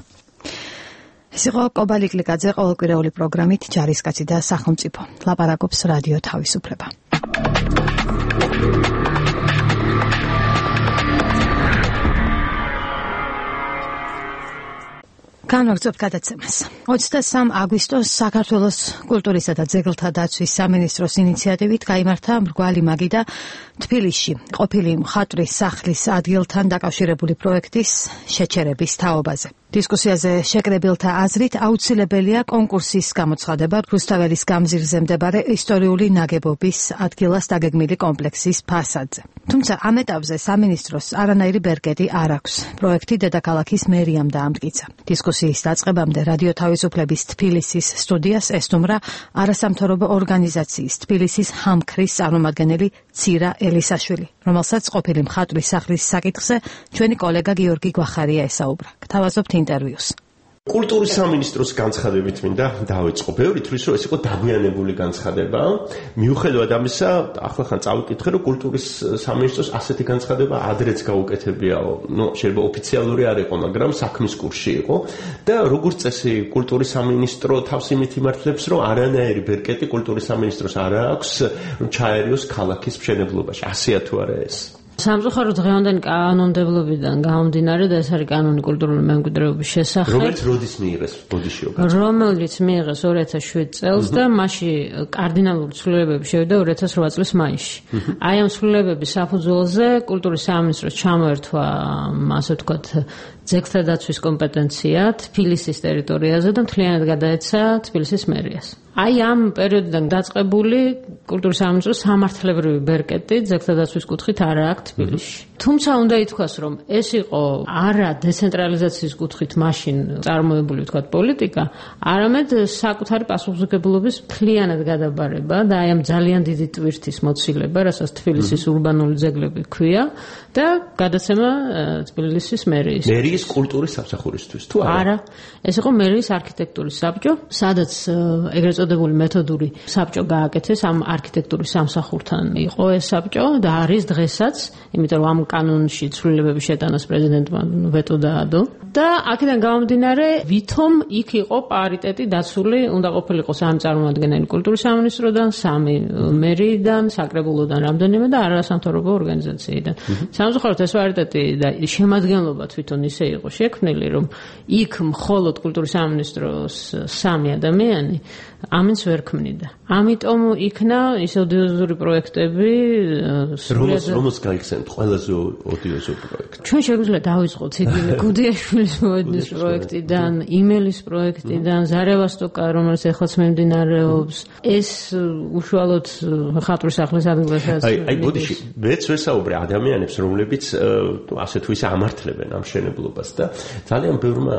ეს იყო კობალი კლიკაძე ყოველკვირეული პროგრამით ჯარისკაცი და სახელმწიფო. ლაპარაკობს რადიო თავისუფლება. განვაგრძობთ გადაცემას. ოცდასამი აგვისტოს საქართველოს კულტურისა და ძეგლთა დაცვის სამინისტროს ინიციატივით გაიმართა მრგვალი მაგი და თბილისში ყოფილი მხატვრის სახლის ადგილთან დაკავშირებული პროექტის შეჩერების თაობაზე. დისკუსიაზე შეკრებილთა აზრით აუცილებელია კონკურსის გამოცხადება რუსთაველის გამზირზე მდებარე ისტორიული ნაგებობის ადგილას დაგეგმილი კომპლექსის ფასადზე. თუმცა ამ ეტაპზე სამინისტროს არანაირი ბერკეტი არ აქვს. პროექტი დედაქალაქის მერიამ დაამტკიცა. დისკუსიის დაწყებამდე რადიო თავისუფლების თბილისის სტუდიას ესტუმრა არასამთავრობო ორგანიზაციის თბილისის ჰამქრის წარმომადგენელი ცირა ელისაშვილი, რომელსაც ყოფილი მხატვრის სახლის საკითხზე ჩვენი კოლეგა გიორგი გვახარია ესაუბრა. გთავაზობთ ინტერვიუს. კულტურის სამინისტროს განცხადებით მინდა დავიწყო. ბევრი თვლის რომ ეს იყო დაგვიანებული განცხადება. მიუხედავად ამისა, ახლა ხან წავიკითხე რომ კულტურის სამინისტროს ასეთი განცხადება ადრეც გაუკეთებიაო. ნუ შეიძლება ოფიციალური არ იყო, მაგრამ საქმის კურსში იყო და როგორც წესი კულტურის სამინისტრო თავს იმით იმართლებს, რომ არანაირი ბერკეტი კულტურის სამინისტროს არ აქვს რომ ჩაერიოს ქალაქის მშენებლობაში. ასეა თუ არა ეს? სამწუხაროდ დღევანდელი კანონმდებლობიდან გამომდინარე და ეს არის კანონი კულტურული მემკვიდრეობის შესახებ. რომელიც როდის მიიღეს ბოდიშიო? რომელიც მიიღეს ორი ათას შვიდ წელს და მასში კარდინალური ცვლილებები შევიდა ორი ათას რვა წლის მაისში. აი ამ ცვლილებების საფუძველზე კულტურის სამინისტროს ჩამოერთვა, ასე ვთქვათ, ძეგლთა დაცვის კომპეტენცია თბილისის ტერიტორიაზე და მთლიანად გადაეცა თბილისის მერიას. აი ამ პერიოდიდან დაწყებული კულტურის სამინისტროს სამართლებრივი ბერკეტი ძეგლთა დაცვის კუთხით არ აქვს თბილისში. თუმცა უნდა ითქვას, რომ ეს იყო არა დეცენტრალიზაციის კუთხით მაშინ წარმოებული ვთქვათ პოლიტიკა, არამედ საკუთარი პასუხისმგებლობის მთლიანად გადაბარება და აი ამ ძალიან დიდი ტვირთის მოცილება, რასაც თბილისის ურბანული ძეგლები ქვია და გადაცემა თბილისის მერიის. მერიის კულტურის სამსახურისთვის თუ არა? არა, ეს იყო მერიის არქიტექტურის საბჭო, სადაც ეგრეთ წოდებული მეთოდური საბჭო გააკეთეს ამ არქიტექტურის სამსახურთან. იყო ეს საბჭო და არის დღესაც, იმიტომ რომ ამ კანონში ცვლილებების შეტანას პრეზიდენტმა ვეტო დაადო და აქედან გამომდინარე, ვითომ იქ იყო პარიტეტი დაცული, უნდა ყოფილიყო სამი წარმომადგენელი კულტურის სამინისტროდან, სამი მერიიდან, საკრებულოდან რამდენიმე და არასამთავრობო ორგანიზაციიდან. სამწუხაროდ ეს პარიტეტი და შემადგენლობა თვითონ ისე იყო შექმნილი, რომ იქ მხოლოდ კულტურის სამინისტროს სამი ადამიანი ამინც ვერ ქმნიდა. ამიტომ იქნა ის ოდიოზური პროექტები სრულიად რომოს გაიხსენებთ ყველაზე ოდიოზური პროექტი. ჩვენ შეგვიძლია დავიწყოთ ციგნი გუდიაშვილის მოედნის პროექტიდან, იმელის პროექტიდან, ზარევასტოკა, რომელიც ეხლაც მიმდინარეობს, ეს უშუალოდ ხატვის სახლის ადგილასაც. აი, აი, ბოდიში, მეც ვესაუბრე ადამიანებს, რომლებიც ასე თუ ისე ამართლებენ ამ მშენებლობას და ძალიან ბევრმა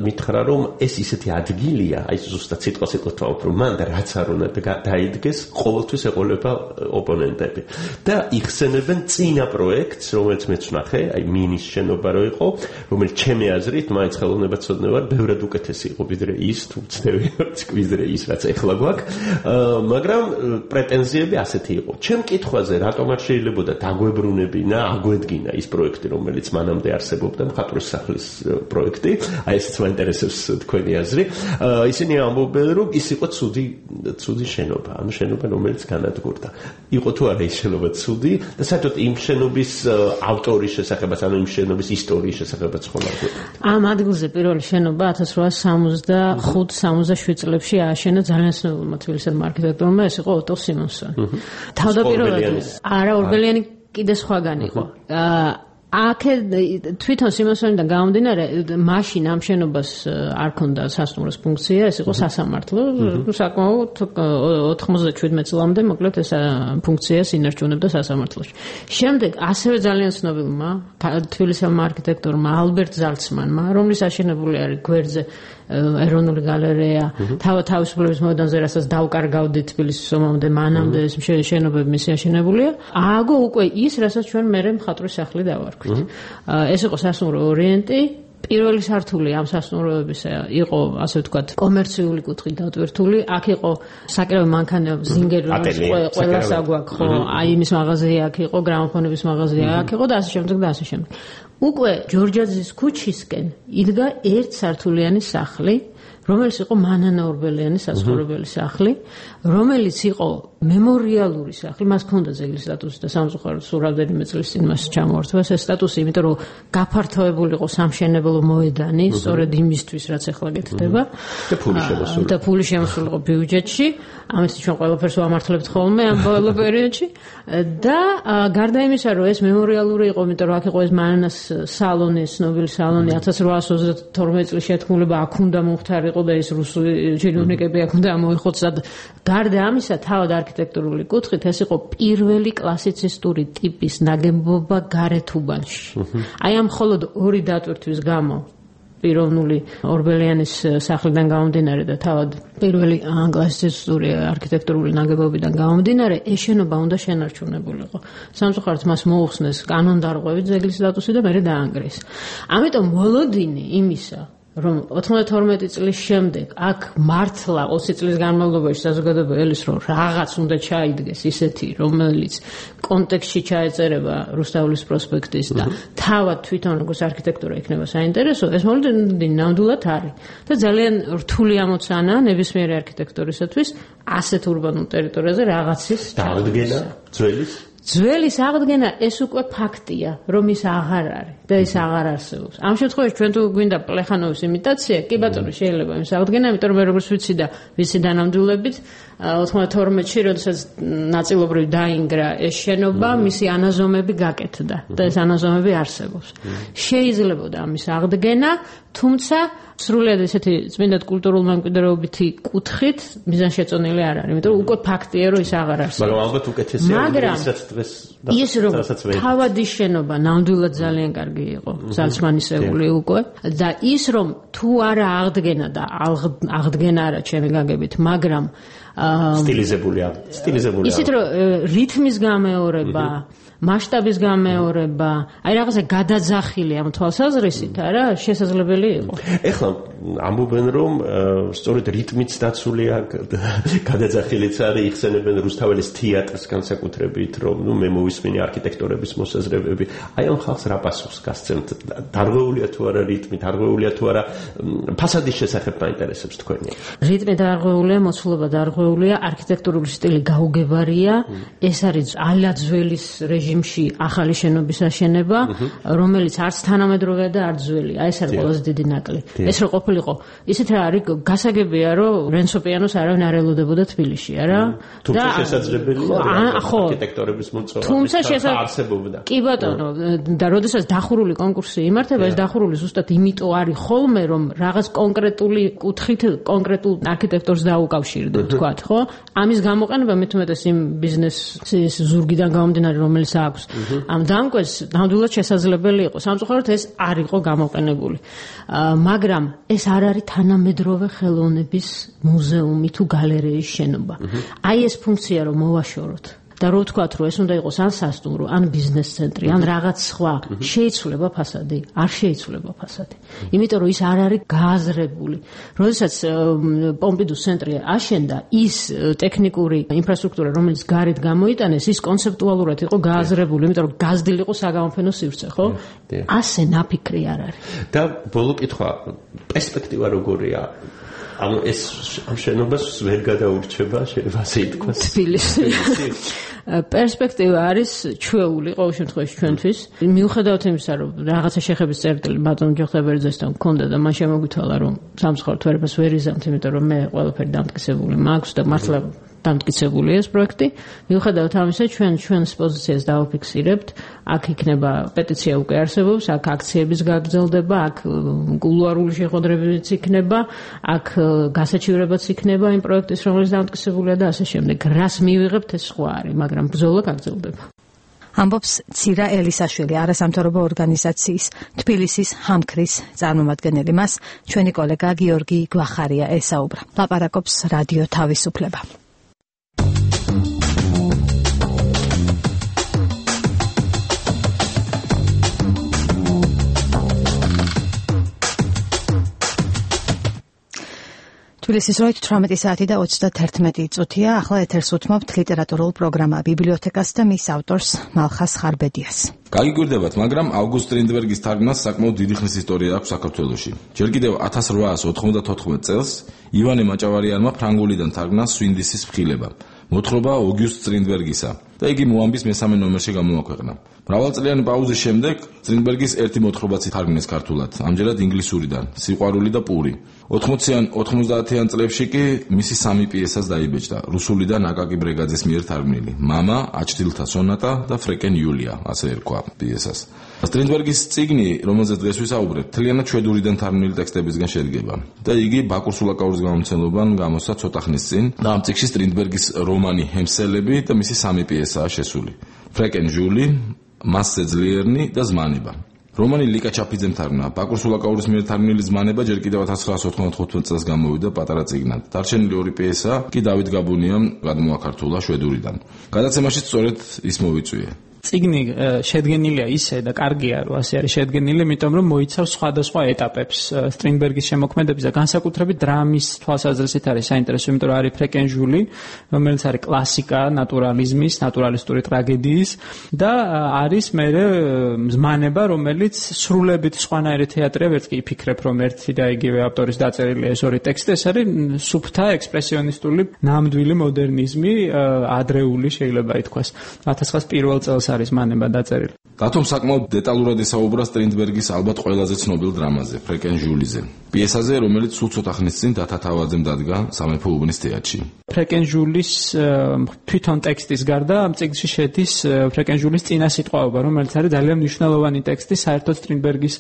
მითხრა, რომ ეს ისეთი ადგილია, აი ზუსტად სიტყვა-სიტყვით ვთქვათ, რომ მან და რაც არ უნდა დაიდგეს, ყოველთვის ეყოლება ოპონენტები და იხსენებენ წინა პროექტს, რომელიც მეც ვნახე, აი მინის შენობა რო იყო, რომელიც ჩემი აზრით მაინც ხელოვნებაცოდნე ვარ, ბევრად უკეთესი იყო ვიდრე ის, თუ ვწდები ვიდრე ის, რაც ეხლა გვაქვს, მაგრამ პრეტენზიები ასეთი იყო. ჩემ კითხვაზე, რატომ არ შეიძლებოდა დაგვებრუნებინა, აგვედგინა ის პროექტი, რომელიც მანამდე არსებობდა, მხატვრის სახლის პროექტი, აი ესეც მაინტერესებს თქვენი აზრი. ისინი ამბობენ, რომ ის იყო ცუდი ცუდი შენობა, ანუ შენობა, რომელიც განადგურდა. იყო თუ არა ის შენობა ცუდი და საერთოდ იმ შენობის ავტორის შესახებაც, ანუ იმ შენობის ისტორიის შესახებაც ხომ არ გვეტყვით. ამ ადგილზე პირველი შენობა ათას რვაასი სამოცდახუთ სამოცდაშვიდ წლებში ააშენა ძალიან ცნობილმა თბილისელმა არქიტექტორმა, ეს იყო ოტო სიმონსონი. თავდაპირველად არა ორბელიანი კიდე სხვაგან იყო. აქ თვითონ სიმონსონიდან გამომდინარე, მაშინ ამ შენობას არ ქონდა სასტუმროს ფუნქცია, ეს იყო სასამართლო, საკმაოდ ოთხმოცდაშვიდ წლამდე მოკლედ ეს ფუნქციას ინარჩუნებდა სასამართლოში. შემდეგ ასევე ძალიან ცნობილმა თბილისელმა არქიტექტორმა ალბერტ ზალცმანმა, რომლის აშენებული არის გვერდზე ეროვნული გალერეა, თავისუფლების მოედანზე, რასაც დავკარგავდით თბილისის ომამდე, მანამდე ეს შენობები მისი აშენებულია. ააგო უკვე ის, რასაც ჩვენ მერე მხატვრის სახლი დავარქვით. ეს იყო სასტუმრო ორიენტი. პირველი სართული ამ სასტუმროებისა იყო, ასე ვთქვათ, კომერციული კუთხით დატვირთული. აქ იყო საკრავი მანქანები, ზინგერი, ყველას აგვაქვს, ხო, აი იმის მაღაზია აქ იყო, გრამოფონების მაღაზია აქ იყო და ასე შემდეგ და ასე შემდეგ. უკვე ჯორჯაძის ქუჩისკენ იდგა ერთსართულიანი სახლი, რომელიც იყო მანანა ორბელიანის საცხოვრებელი სახლი, რომელიც იყო მემორიალური სახლი, მას ჰქონდა ძეგლის სტატუსი და სამწუხაროდ სულ რამდენიმე წლის წინ მას ჩამოართვა ეს სტატუსი, იმიტომ რომ გაფართოებული იყო სამშენებლო მოედანი, სწორედ იმისთვის, რაც ახლა გეთდება. და ფული შემოსული. და ფული შემოსული იყო ბიუჯეტში, ამისთვის ჩვენ ყველაფერს ვამართლებთ ხოლმე ამ ბოლო პერიოდში და გარდა იმისა, რომ ეს მემორიალური იყო, იმიტომ რომ აქ იყო ეს მანანას სალონი, ცნობილი სალონი, ათას რვაასი ოცდათორმეტ წლის შეთქმულება აქ უნდა მომხდარიყო და ეს რუსული ჩინოვნიკები აქ უნდა მოიხოცდა. გარდა ამისა, თავად არქიტექტურული კუთხით ეს იყო პირველი კლასიცისტური ტიპის ნაგებობა გარეთუბანში. აი ამ მხოლოდ ორი დატვირთვის გამო პიროვნული ორბელიანის სახლიდან გამომდინარე და თავად პირველი კლასიცისტური არქიტექტურული ნაგებობიდან გამომდინარე, ეს შენობა უნდა შენარჩუნებულიყო. სამწუხაროდ მას მოუხსნეს კანონდარღვევით ძეგლის სტატუსი და მერე დაანგრიეს. ამიტომ მოლოდინი იმისა, რომ ოთხმოცდათორმეტი წლის შემდეგ აქ მართლა ოცი წლის განმავლობაში საზოგადოება ელვის რომ რაღაც უნდა ჩაიდგეს ისეთი, რომელიც კონტექსტში ჩაეწერება რუსთაველის პროსპექტის და თავად თვითონ როგორც არქიტექტურა იქნება საინტერესო, ეს მოლოდინი ნამდვილად არის და ძალიან რთული ამოცანაა ნებისმიერი არქიტექტორისათვის ასეთ ურბანულ ტერიტორიაზე რაღაცის დაადგენა ძველის ძველის აღდგენა ეს უკვე ფაქტია, რომ ის აღარ არის და ის აღარ არსებობს. ამ შემთხვევაში ჩვენ თუ გვინდა პლეხანოვის იმიტაცია, კი ბატონო შეიძლება იმის აღდგენა, იმიტომ რომ მე როგორც ვიცი და ვიცი დანამდვილებით ოთხმოცდათორმეტში, როდესაც ნაწილობრივ დაინგრა ეს შენობა, მისი ანაზომები გაკეთდა და ეს ანაზომები არსებობს. შეიძლებოდა ამის აღდგენა, თუმცა სრულიად ესეთი წმინდად კულტურულ მემკვიდრეობითი კუთხით მიზანშეწონილი არ არის, იმიტომ რომ უკვე ფაქტია, რომ ის აღარ არსებობს. მაგრამ ალბათ უკეთესია, ვისაც დღეს ის რომ თავადი შენობა ნამდვილად ძალიან კარგი იყო, ზალცმანისეული უკვე და ის რომ თუ არა აღდგენა და აღდგენა არა ჩემი გაგებით, მაგრამ სტილიზებულია, სტილიზებულია. ისეთ რომ რითმის გამეორება, მასშტაბის გამეორება, აი რაღაცა გადაძახილი ამ თვალსაზრისით, არა, შესაძლებელი იყო. ეხლა ამბობენ რომ სწორედ რიტმიც დაცულია, გადაძახილიც არის, იხსენებენ რუსთაველის თეატრს განსაკუთრებით, რომ ნუ მე მოვისმინე არქიტექტორების მოსაზრებები. აი ამ ხალხს რა პასუხს გასცემთ? დარღვეულია თუ არა რიტმი, დარღვეულია თუ არა ფასადის შესახებ მაინტერესებს თქვენი. რიტმი დარღვეულია, მოცულობა დარღვეულია, არქიტექტურული სტილი გაუგებარია, ეს არის ალაძველის რეჟიმში ახალი შენობის აშენება, რომელიც არც თანამედროვეა და არც ძველია. აი ეს არის ყველაზე დიდი ნაკლი. ეს რო ყოფილი ყოფილიყო. ისეთ რა არის გასაგებია, რომ რენსო პიანოს არავინ არ ელოდებოდა თბილისში, არა? თუმცა შესაძლებელია არქიტექტორების მოწვევა არსებობდა. კი ბატონო, და როდესაც დახურული კონკურსი იმართება, ეს დახურული ზუსტად იმიტომ არის ხოლმე, რომ რაღაც კონკრეტული კუთხით კონკრეტულ არქიტექტორს დაუკავშირდეთ, თქვათ, ხო? ამის გამოყენება მithumetes იმ ბიზნესის ზურგიდან გამომდინარე, რომელიც აქვს ამ დამკვეს, ნამდვილად შესაძლებელი იყო. სამწუხაროდ ეს არ იყო გამოყენებული. მაგრამ ეს არ არის თანამედროვე ხელოვნების მუზეუმი თუ გალერეის შენობა. აი ეს ფუნქცია რომ მოვაშოროთ და რო ვთქვათ, რომ ეს უნდა იყოს ან სასტუმრო, ან ბიზნეს ცენტრი, ან რაღაც სხვა, შეიცვლება ფასადი, არ შეიცვლება ფასადი. იმიტომ რომ ის არ არის გააზრებული. როდესაც პომპიდუს ცენტრი აშენდა, ის ტექნიკური ინფრასტრუქტურა, რომელიც გარეთ გამოიტანეს, ის კონცეპტუალურად იყო გააზრებული, იმიტომ რომ გაზრდილი იყო საგამოფენო სივრცე, ხო? ასე ნაფიქრი არ არის. და ბოლო კითხვა, პერსპექტივა როგორია? ანუ ეს ამ შენობას ვერ გადაურჩება, შეიძლება ასე ითქვას. თბილისი. პერსპექტივა არის ჩვეული ყოველ შემთხვევაში ჩვენთვის. მიუხედავად იმისა, რომ რაღაცა შეხების წერტილი ბატონ ჯოხებერძესთან მქონდა და მან შემოგვითვალა, რომ სამწუხაროდ ვერებას ვერ იზამთ, იმიტომ რომ მე ყველაფერი დამტკიცებული მაქვს და მართლა დამტკიცებული ეს პროექტი. მიუხედავად ამისა, ჩვენ ჩვენს პოზიციას დავაფიქსირებთ. აქ იქნება პეტიცია უკვე არსებობს, აქ აქციების გაგრძელდება, აქ კულუარული შეხვედრებიც იქნება, აქ გასაჩივრებაც იქნება იმ პროექტის, რომელიც დამტკიცებულია და ასე შემდეგ. რას მივიღებთ ეს სხვა არის, მაგრამ ბრძოლა გაგრძელდება. ამბობს ცირა ელისაშვილი, არასამთავრობო ორგანიზაციის თბილისის ჰამქრის წარმომადგენელი. მას ჩვენი კოლეგა გიორგი გვახარია ესაუბრა. ლაპარაკობს რადიო თავისუფლება. თბილისის დროით თვრამეტი საათი და ოცდაერთი წუთია. ახლა ეთერს უთმობთ ლიტერატურულ პროგრამა ბიბლიოთეკას და მის ავტორს მალხას ხარბედიას. გაგიგვირდებათ, მაგრამ ავგუსტ სტრინდბერგის თარგმნას საკმაოდ დიდი ხნის ისტორია აქვს საქართველოში. ჯერ კიდევ ათას რვაას ოცდაოთხმეტ წელს ივანე მაჭავარიანმა ფრანგულიდან თარგმნა სვინდისის ფრხილება. მოთხრობა ოგიუსტ სტრინდბერგისა და იგი მოამბის მესამე ნომერში გამოაქვეყნა. მრავალწლიანი პაუზის შემდეგ სტრინდბერგის ერთი მოთხრობაც ითარგმნეს ქართულად, ამჯერად ინგლისურიდან, სიყვარული და პური. ოთხმოციან ოცდაათიან წლებში კი მისი სამი პიესას დაიბეჭდა, რუსულიდან აკაკი ბრეგაძის მიერ თარგმნილი, მამა, აჩდილთა სონატა და ფრეკენ იულია, ასე ერქვა პიესას. სტრინდბერგის წიგნი, რომელზეც დღეს ვისაუბრებთ, მთლიანად შვედურიდან თარგმნილი ტექსტებისგან შედგება და იგი ბაკურ სულაკაურის გამომცემლობამ გამოსცა ცოტა ხნის წინ და ამ წიგნში სტრინდბერგის რომანი ჰემსელები და მისი სამი პიესაა შესული. ფრეკენ ჟული, მასზე ძლიერნი და ზმანება. რომანი ლიკა ჩაფიძემ თარგმნა. ბაკურ სულაკაურის მიერ თარგმნილი ზმანება ჯერ კიდევ ათას ცხრაას ოცდაოთხმეტ წელს გამოვიდა პატარა წიგნად. დარჩენილი ორი პიესა კი დავით გაბუნიამ გადმოაქართულა შვედურიდან. გადაცემაში სწორედ ის მოვიწვიე. წიგნი შედგენილია ისე და კარგია რომ ასე არის შედგენილი, იმიტომ რომ მოიცავს სხვადასხვა ეტაპებს სტრინდბერგის შემოქმედების და განსაკუთრებით დრამის თვალსაზრისით არის საინტერესო, იმიტომ რომ არის ფრეკენ ჟული, რომელიც არის კლასიკა ნატურალიზმის, ნატურალისტური ტრაგედიის და არის მერე ზმანება, რომელიც სრულებით სხვანაირი თეატრია, ვერც კი იფიქრებ, რომ ერთი და იგივე ავტორის დაწერილი ეს ორი ტექსტი, ეს არის სუფთა ექსპრესიონისტული ნამდვილი მოდერნიზმი, ადრეული შეიძლება ითქვას. ათას ცხრაას პირველ წელს არის მანება დაწერილი. დათომ საკმაოდ დეტალურად ესაუბრა სტრინდბერგის ალბათ ყველაზე ცნობილ დრამაზე, ფრეკენ ჟულიზე. პიესაზე, რომელიც სულ ცოტა ხნის წინ დათა თავაძემ დადგა სამეფო უბნის თეატრში. ფრეკენ ჟულის თვითონ ტექსტის გარდა ამ წიგნში შედის ფრეკენ ჟულის წინასიტყვაობა, რომელიც არის ძალიან მნიშვნელოვანი ტექსტი საერთოდ სტრინდბერგის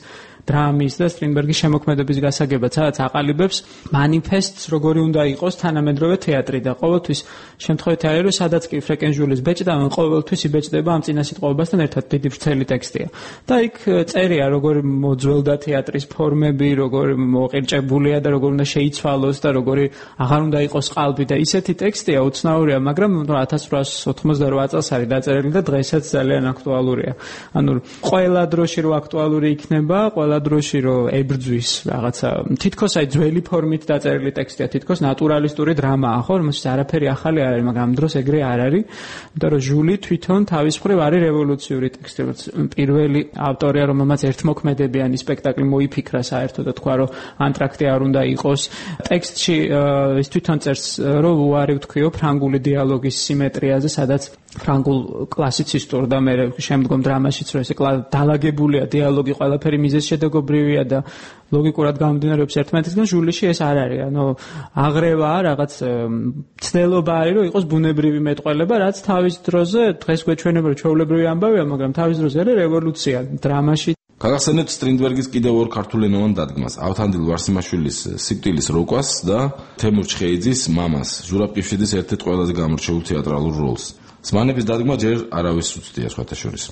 დრამის და სტრინდბერგის შემოქმედების გასაგებად, სადაც აყალიბებს მანიფესტს, როგორი უნდა იყოს თანამედროვე თეატრი და ყოველთვის შემთხვევითი არის, რომ სადაც კი ფრეკენ ჟულის ბეჭდა, ყოველთვის იბეჭდება ამ წინასიტყვაობასთან ერთად დიდი ვრცელი ტექსტია. და იქ წერია, როგორი მოძველდა თეატრის ფორმები, როგორი მოყირჭებულია და როგორ უნდა შეიცვალოს და როგორი აღარ უნდა იყოს ყალბი და ისეთი ტექსტია უცნაურია, მაგრამ ათას ცხრაას ოცდაოთხმეტ წელს არის დაწერილი და დღესაც ძალიან აქტუალურია. ანუ ყველა დროში რო აქტუალური იქნება, ყველა დროში რო ებრძვის რაღაცა თითქოს აი ძველი ფორმით დაწერილი ტექსტია, თითქოს ნატურალისტური დრამაა, ხო, რომელსაც არაფერი ახალი არ არის, მაგრამ ამ დროს ეგრე არ არის, იმიტომ რომ ჟული თვითონ თავის მხრივ არის რევოლუციური ტექსტი. პირველი ავტორია, რომელმაც ერთმოქმედებიანი სპექტაკლი მოიფიქრა საერთოდ და თქვა, რომ ანტრაქტი არ უნდა იყოს. ტექსტში ის თვითონ წერს, რომ უარი ვთქვიო ფრანგული დიალოგის სიმეტრიაზე, სადაც ფრანგულ კლასიცისტურ და მე შემდგომ დრამაშიც რომ ესე დალაგებულია დიალოგი ყველაფერი მიზეზშედეგობრივია და ლოგიკურად გამომდინარეობს ერთმანეთისგან ჟულში ეს არ არის ანუ აღრევაა რაღაც ცდელობა არის რომ იყოს ბუნებრივი მეტყველება რაც თავის დროზე დღეს გვეჩვენება რომ ჩვეულებრივი ამბავია მაგრამ თავის დროზე არის რევოლუცია დრამაში გაგახსენებთ სტრინდბერგის კიდევ ორ ქართულენოვან დადგმას ავთანდილ ვარსიმაშვილის სიკვდილის როკვას და თემურ ჩხეიძის მამას ზურაბ ყიფშიძის ერთ-ერთ ყველაზე გამორჩეულ თეატრალურ როლს სმანების დადგმა ჯერ არავის უცდია სხვათა შორის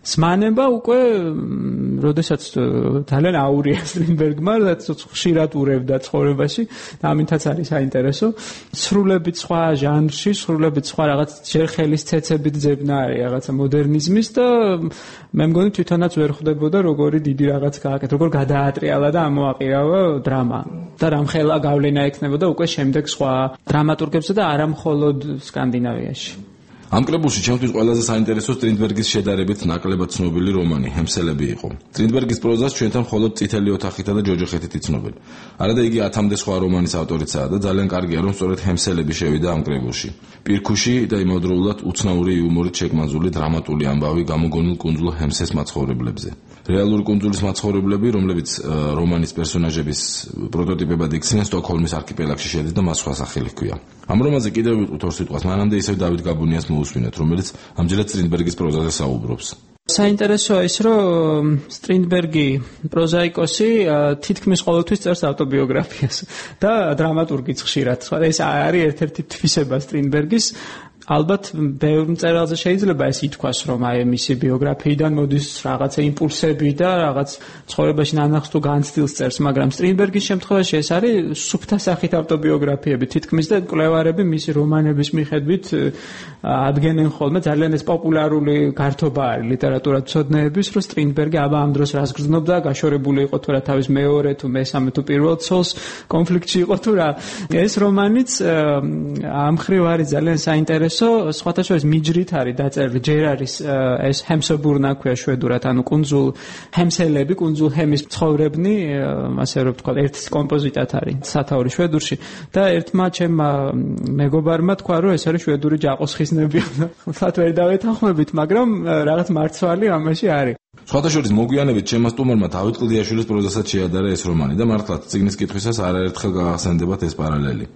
სმანება უკვე როდესაც ძალიან აურია სტრინდბერგმა რაც ხშირად ურევდა ცხოვრებაში და ამითაც არის საინტერესო სრულებით სხვა ჟანრში სრულებით სხვა რაღაც ჯერ ხელის ცეცებით ძებნა არის რაღაცა მოდერნიზმის და მე მგონი თვითონაც ვერ ხვდებოდა როგორი დიდი რაღაც გააკეთა როგორ გადაატრიალა და ამოაყირავა დრამა და რამხელა გავლენა ექნებოდა უკვე შემდეგ სხვა დრამატურგებზე და არა მხოლოდ სკანდინავიაში ამ კრებულში ჩემთვის ყველაზე საინტერესო სტრინდბერგის შედარებით ნაკლებად ცნობილი რომანი ჰემსელები იყო. სტრინდბერგის პროზას ჩვენთან მხოლოდ წითელი ოთახითა და ჯოჯოხეთით იცნობენ. არადა იგი ათამდე სხვა რომანის ავტორიცაა და ძალიან კარგია რომ სწორედ ჰემსელები შევიდა ამ კრებულში. პირქუში და იმავდროულად უცნაური იუმორით შეკმანზული დრამატული ამბავი გამოგონილ კუნძულ ჰემსეს მაცხოვრებლებზე. რეალური კუნძულის მაცხოვრებლები, რომლებიც რომანის პერსონაჟების პროტოტიპებად იქცნენ სტოკჰოლმის არქიპელაგში შედის და მას სხვა სახელი ჰქვია. ამ რომანზე კიდევ ვიტყვით ორ სიტყვას, მანამდე ისევ დავით გაბუნიას მოусმინეთ, რომელიც ამჯერად სტრინდბერგის პროზაზე საუბრობს. საინტერესოა ის, რომ სტრინდბერგი პროზაიკოსი თითქმის ყოველთვის წერს ავტობიოგრაფიას და დრამატურგიც ხშირად. ეს არის ერთ-ერთი თვისება სტრინდბერგის ალბათ ბევრ მწერალზე შეიძლება ეს ითქვას რომ აი მისი ბიოგრაფიიდან მოდის რაღაცა იმპულსები და რაღაც ცხოვრებაში ნანახს თუ განცდილს წერს მაგრამ სტრინდბერგის შემთხვევაში ეს არის სუფთა სახით ავტობიოგრაფიები თითქმის და კვლევარები მისი რომანების მიხედვით ადგენენ ხოლმე ძალიან ეს პოპულარული გართობა არის ლიტერატურათმცოდნეების რომ სტრინდბერგი აბა ამ დროს რას გრძნობდა გაშორებული იყო თუ რა თავის მეორე თუ მესამე თუ პირველ ცოლს კონფლიქტში იყო თუ რა ეს რომანიც ამ მხრივ არის ძალიან საინტერესო სხვათა შორის მიჯრით არის დაწერილი ჯერ არის ეს ჰემსებურნა ქვია შვედურად ანუ კუნძულ ჰემსელები კუნძულ ჰემის მცხოვრებნი ასე რომ ვთქვა ერთ კომპოზიტად არის სათაური შვედურში და ერთმა ჩემმა მეგობარმა თქვა რომ ეს არის შვედური ჯაყოსხისნები ხალხად ვერ დავეთანხმებით მაგრამ რაღაც მარცვალი ამაში არის სხვათა შორის მოგვიანებით ჩემმა სტუმარმა დავით კლდიაშვილის პროზასაც შეადარა ეს რომანი და მართლაც წიგნის კითხვისას არაერთხელ გაგახსენდებათ ეს პარალელი.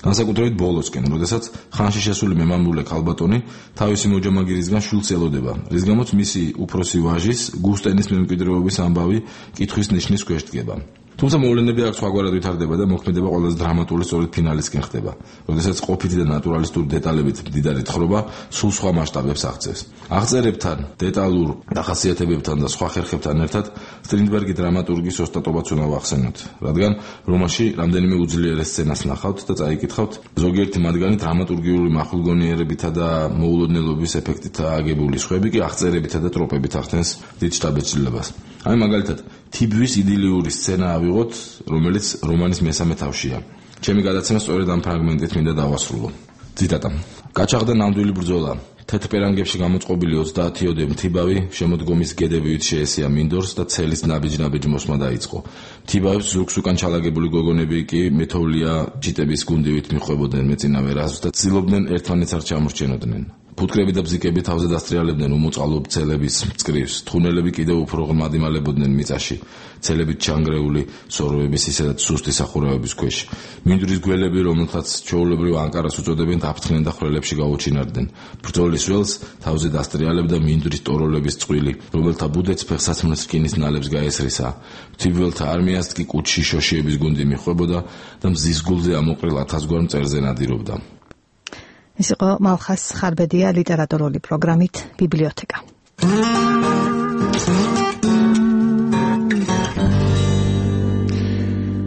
განსაკუთრებით ბოლოსკენ, როდესაც ხანში შესული მემამულე ქალბატონი თავისი მოჯამაგირისგან შვილს ელოდება, რის გამოც მისი უფროსი ვაჟის გუსტენის მემკვიდრეობის ამბავი კითხვის ნიშნის ქვეშ დგება. თუმცა მოვლენები აქ სხვაგვარად ვითარდება და მოქმედება ყველაზე დრამატული სწორედ ფინალისკენ ხდება, როდესაც ყოფითი და ნატურალისტური დეტალებით მდიდარი თხრობა სულ სხვა მასშტაბებს აღწევს. აღწერებთან, დეტალურ დახასიათებებთან და სხვა ხერხებთან ერთად სტრინდბერგი დრამატურგის ოსტატობაც უნდა ვახსენოთ, რადგან რომანში რამდენიმე უძლიერე სცენას ნახავთ და წაიკითხავთ, ზოგიერთი მათგანი დრამატურგიული მახვილგონიერებითა და მოულოდნელობის ეფექტითაა აგებული, სხვები კი აღწერებითა და ტროპებით ახდენს დიდ შთაბეჭდილებას. აი მაგალითად თიბვის იდილიური სცენა ავიღოთ, რომელიც რომანის მესამე თავშია. ჩემი გადაცემა სწორედ ამ ფრაგმენტით მინდა დავასრულო. ციტატა. გაჩაღდა ნამდვილი ბრძოლა. თეთრ პერანგებში გამოწყობილი ოცდაათიოდე მთიბავი შემოდგომის გედებივით შეესია მინდორს და ცელის ნაბიჯ-ნაბიჯ მოსმა დაიწყო. მთიბავებს ზურგს უკან ჩალაგებული გოგონები კი მეთოვლია ჯიტების გუნდივით მიხვებოდნენ მეწინავე რაზმს და ცდილობდნენ ერთმანეთს არ ჩამორჩენოდნენ. ფუტკრები და ბზიკები თავზე დასტრიალებდნენ უმოწყალო ცელების მწკრივს, თხუნელები კიდევ უფრო ღრმად იმალებოდნენ მიწაში, ცელებით ჩანგრეული სოროების ისედაც სუსტი სახურავების ქვეშ. მინდვრის გველები, რომელთაც ჩვეულებრივ ანკარას უწოდებენ, აფრთხნენ და ხვრელებში გაუჩინარდნენ. ბრძოლის ველს თავზე დასტრიალებდა მინდვრის ტოროლების წყვილი, რომელთა ბუდეც ფეხსაცმლის რკინის ნალებს გაესრისა. მთიბველთა არმიას კი კუჩში შოშიების გუნდი მიხვებოდა და მზის გულზე ამოყრილ ათასგვარ მწერზე ნადირობდა. ეს იყო მალხას ხარბედია ლიტერატურული პროგრამით ბიბლიოთეკა.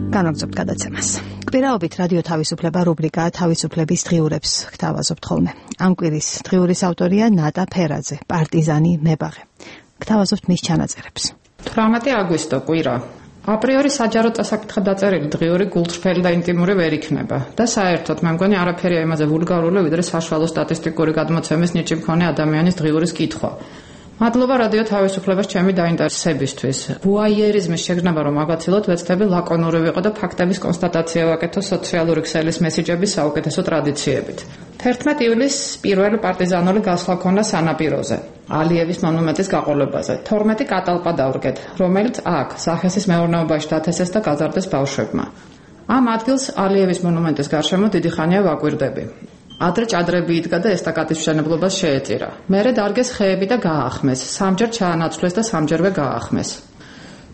განაგზობთ გადაცემას. კვირაობით რადიო თავისუფლება რუბრიკაა თავისუფლების დღიურებს გთავაზობთ ხოლმე. ამ კვირის დღიურის ავტორია ნატა ფერაძე, პარტიზანი მებაღე. გთავაზობთ მის ჩანაწერებს. თვრამეტი აგვისტო კვირა. აპრიორი საჯარო წასაკითხად დაწერილი დღიური გულწრფელი და ინტიმური ვერ იქნება და საერთოდ მე მგონი არაფერია იმაზე ვულგარული ვიდრე საშუალო სტატისტიკური გადმოცემის ნიჭი მქონე ადამიანის დღიურის კითხვა. მადლობა რადიო თავისუფლებას ჩემი დაინტერესებისთვის. ვუაიერიზმის შეგრძნება რომ აგაცილოთ, ვეცდები ლაკონური ვიყო და ფაქტების კონსტატაცია ვაკეთო სოციალური ქსელის მესიჯების საუკეთესო ტრადიციებით. თერთმეტი ივლისს პირველი პარტიზანული გასვლა ქონდა სანაპიროზე, ალიევის მონუმენტის გაყოლებაზე. თორმეტი კატალპა დავრგეთ, რომელიც აქ, სახესის მეურნეობაში დათესეს და გაზარდეს ბავშვებმა. ამ ადგილს ალიევის მონუმენტის გარშემო დიდი ხანია ვაკვირდები. ადრე ჭადრები იდგა და ესტაკადის მშენებლობას შეეწირა. მერე დარგეს ხეები და გაახმეს, სამჯერ ჩაანაცვლეს და სამჯერვე გაახმეს.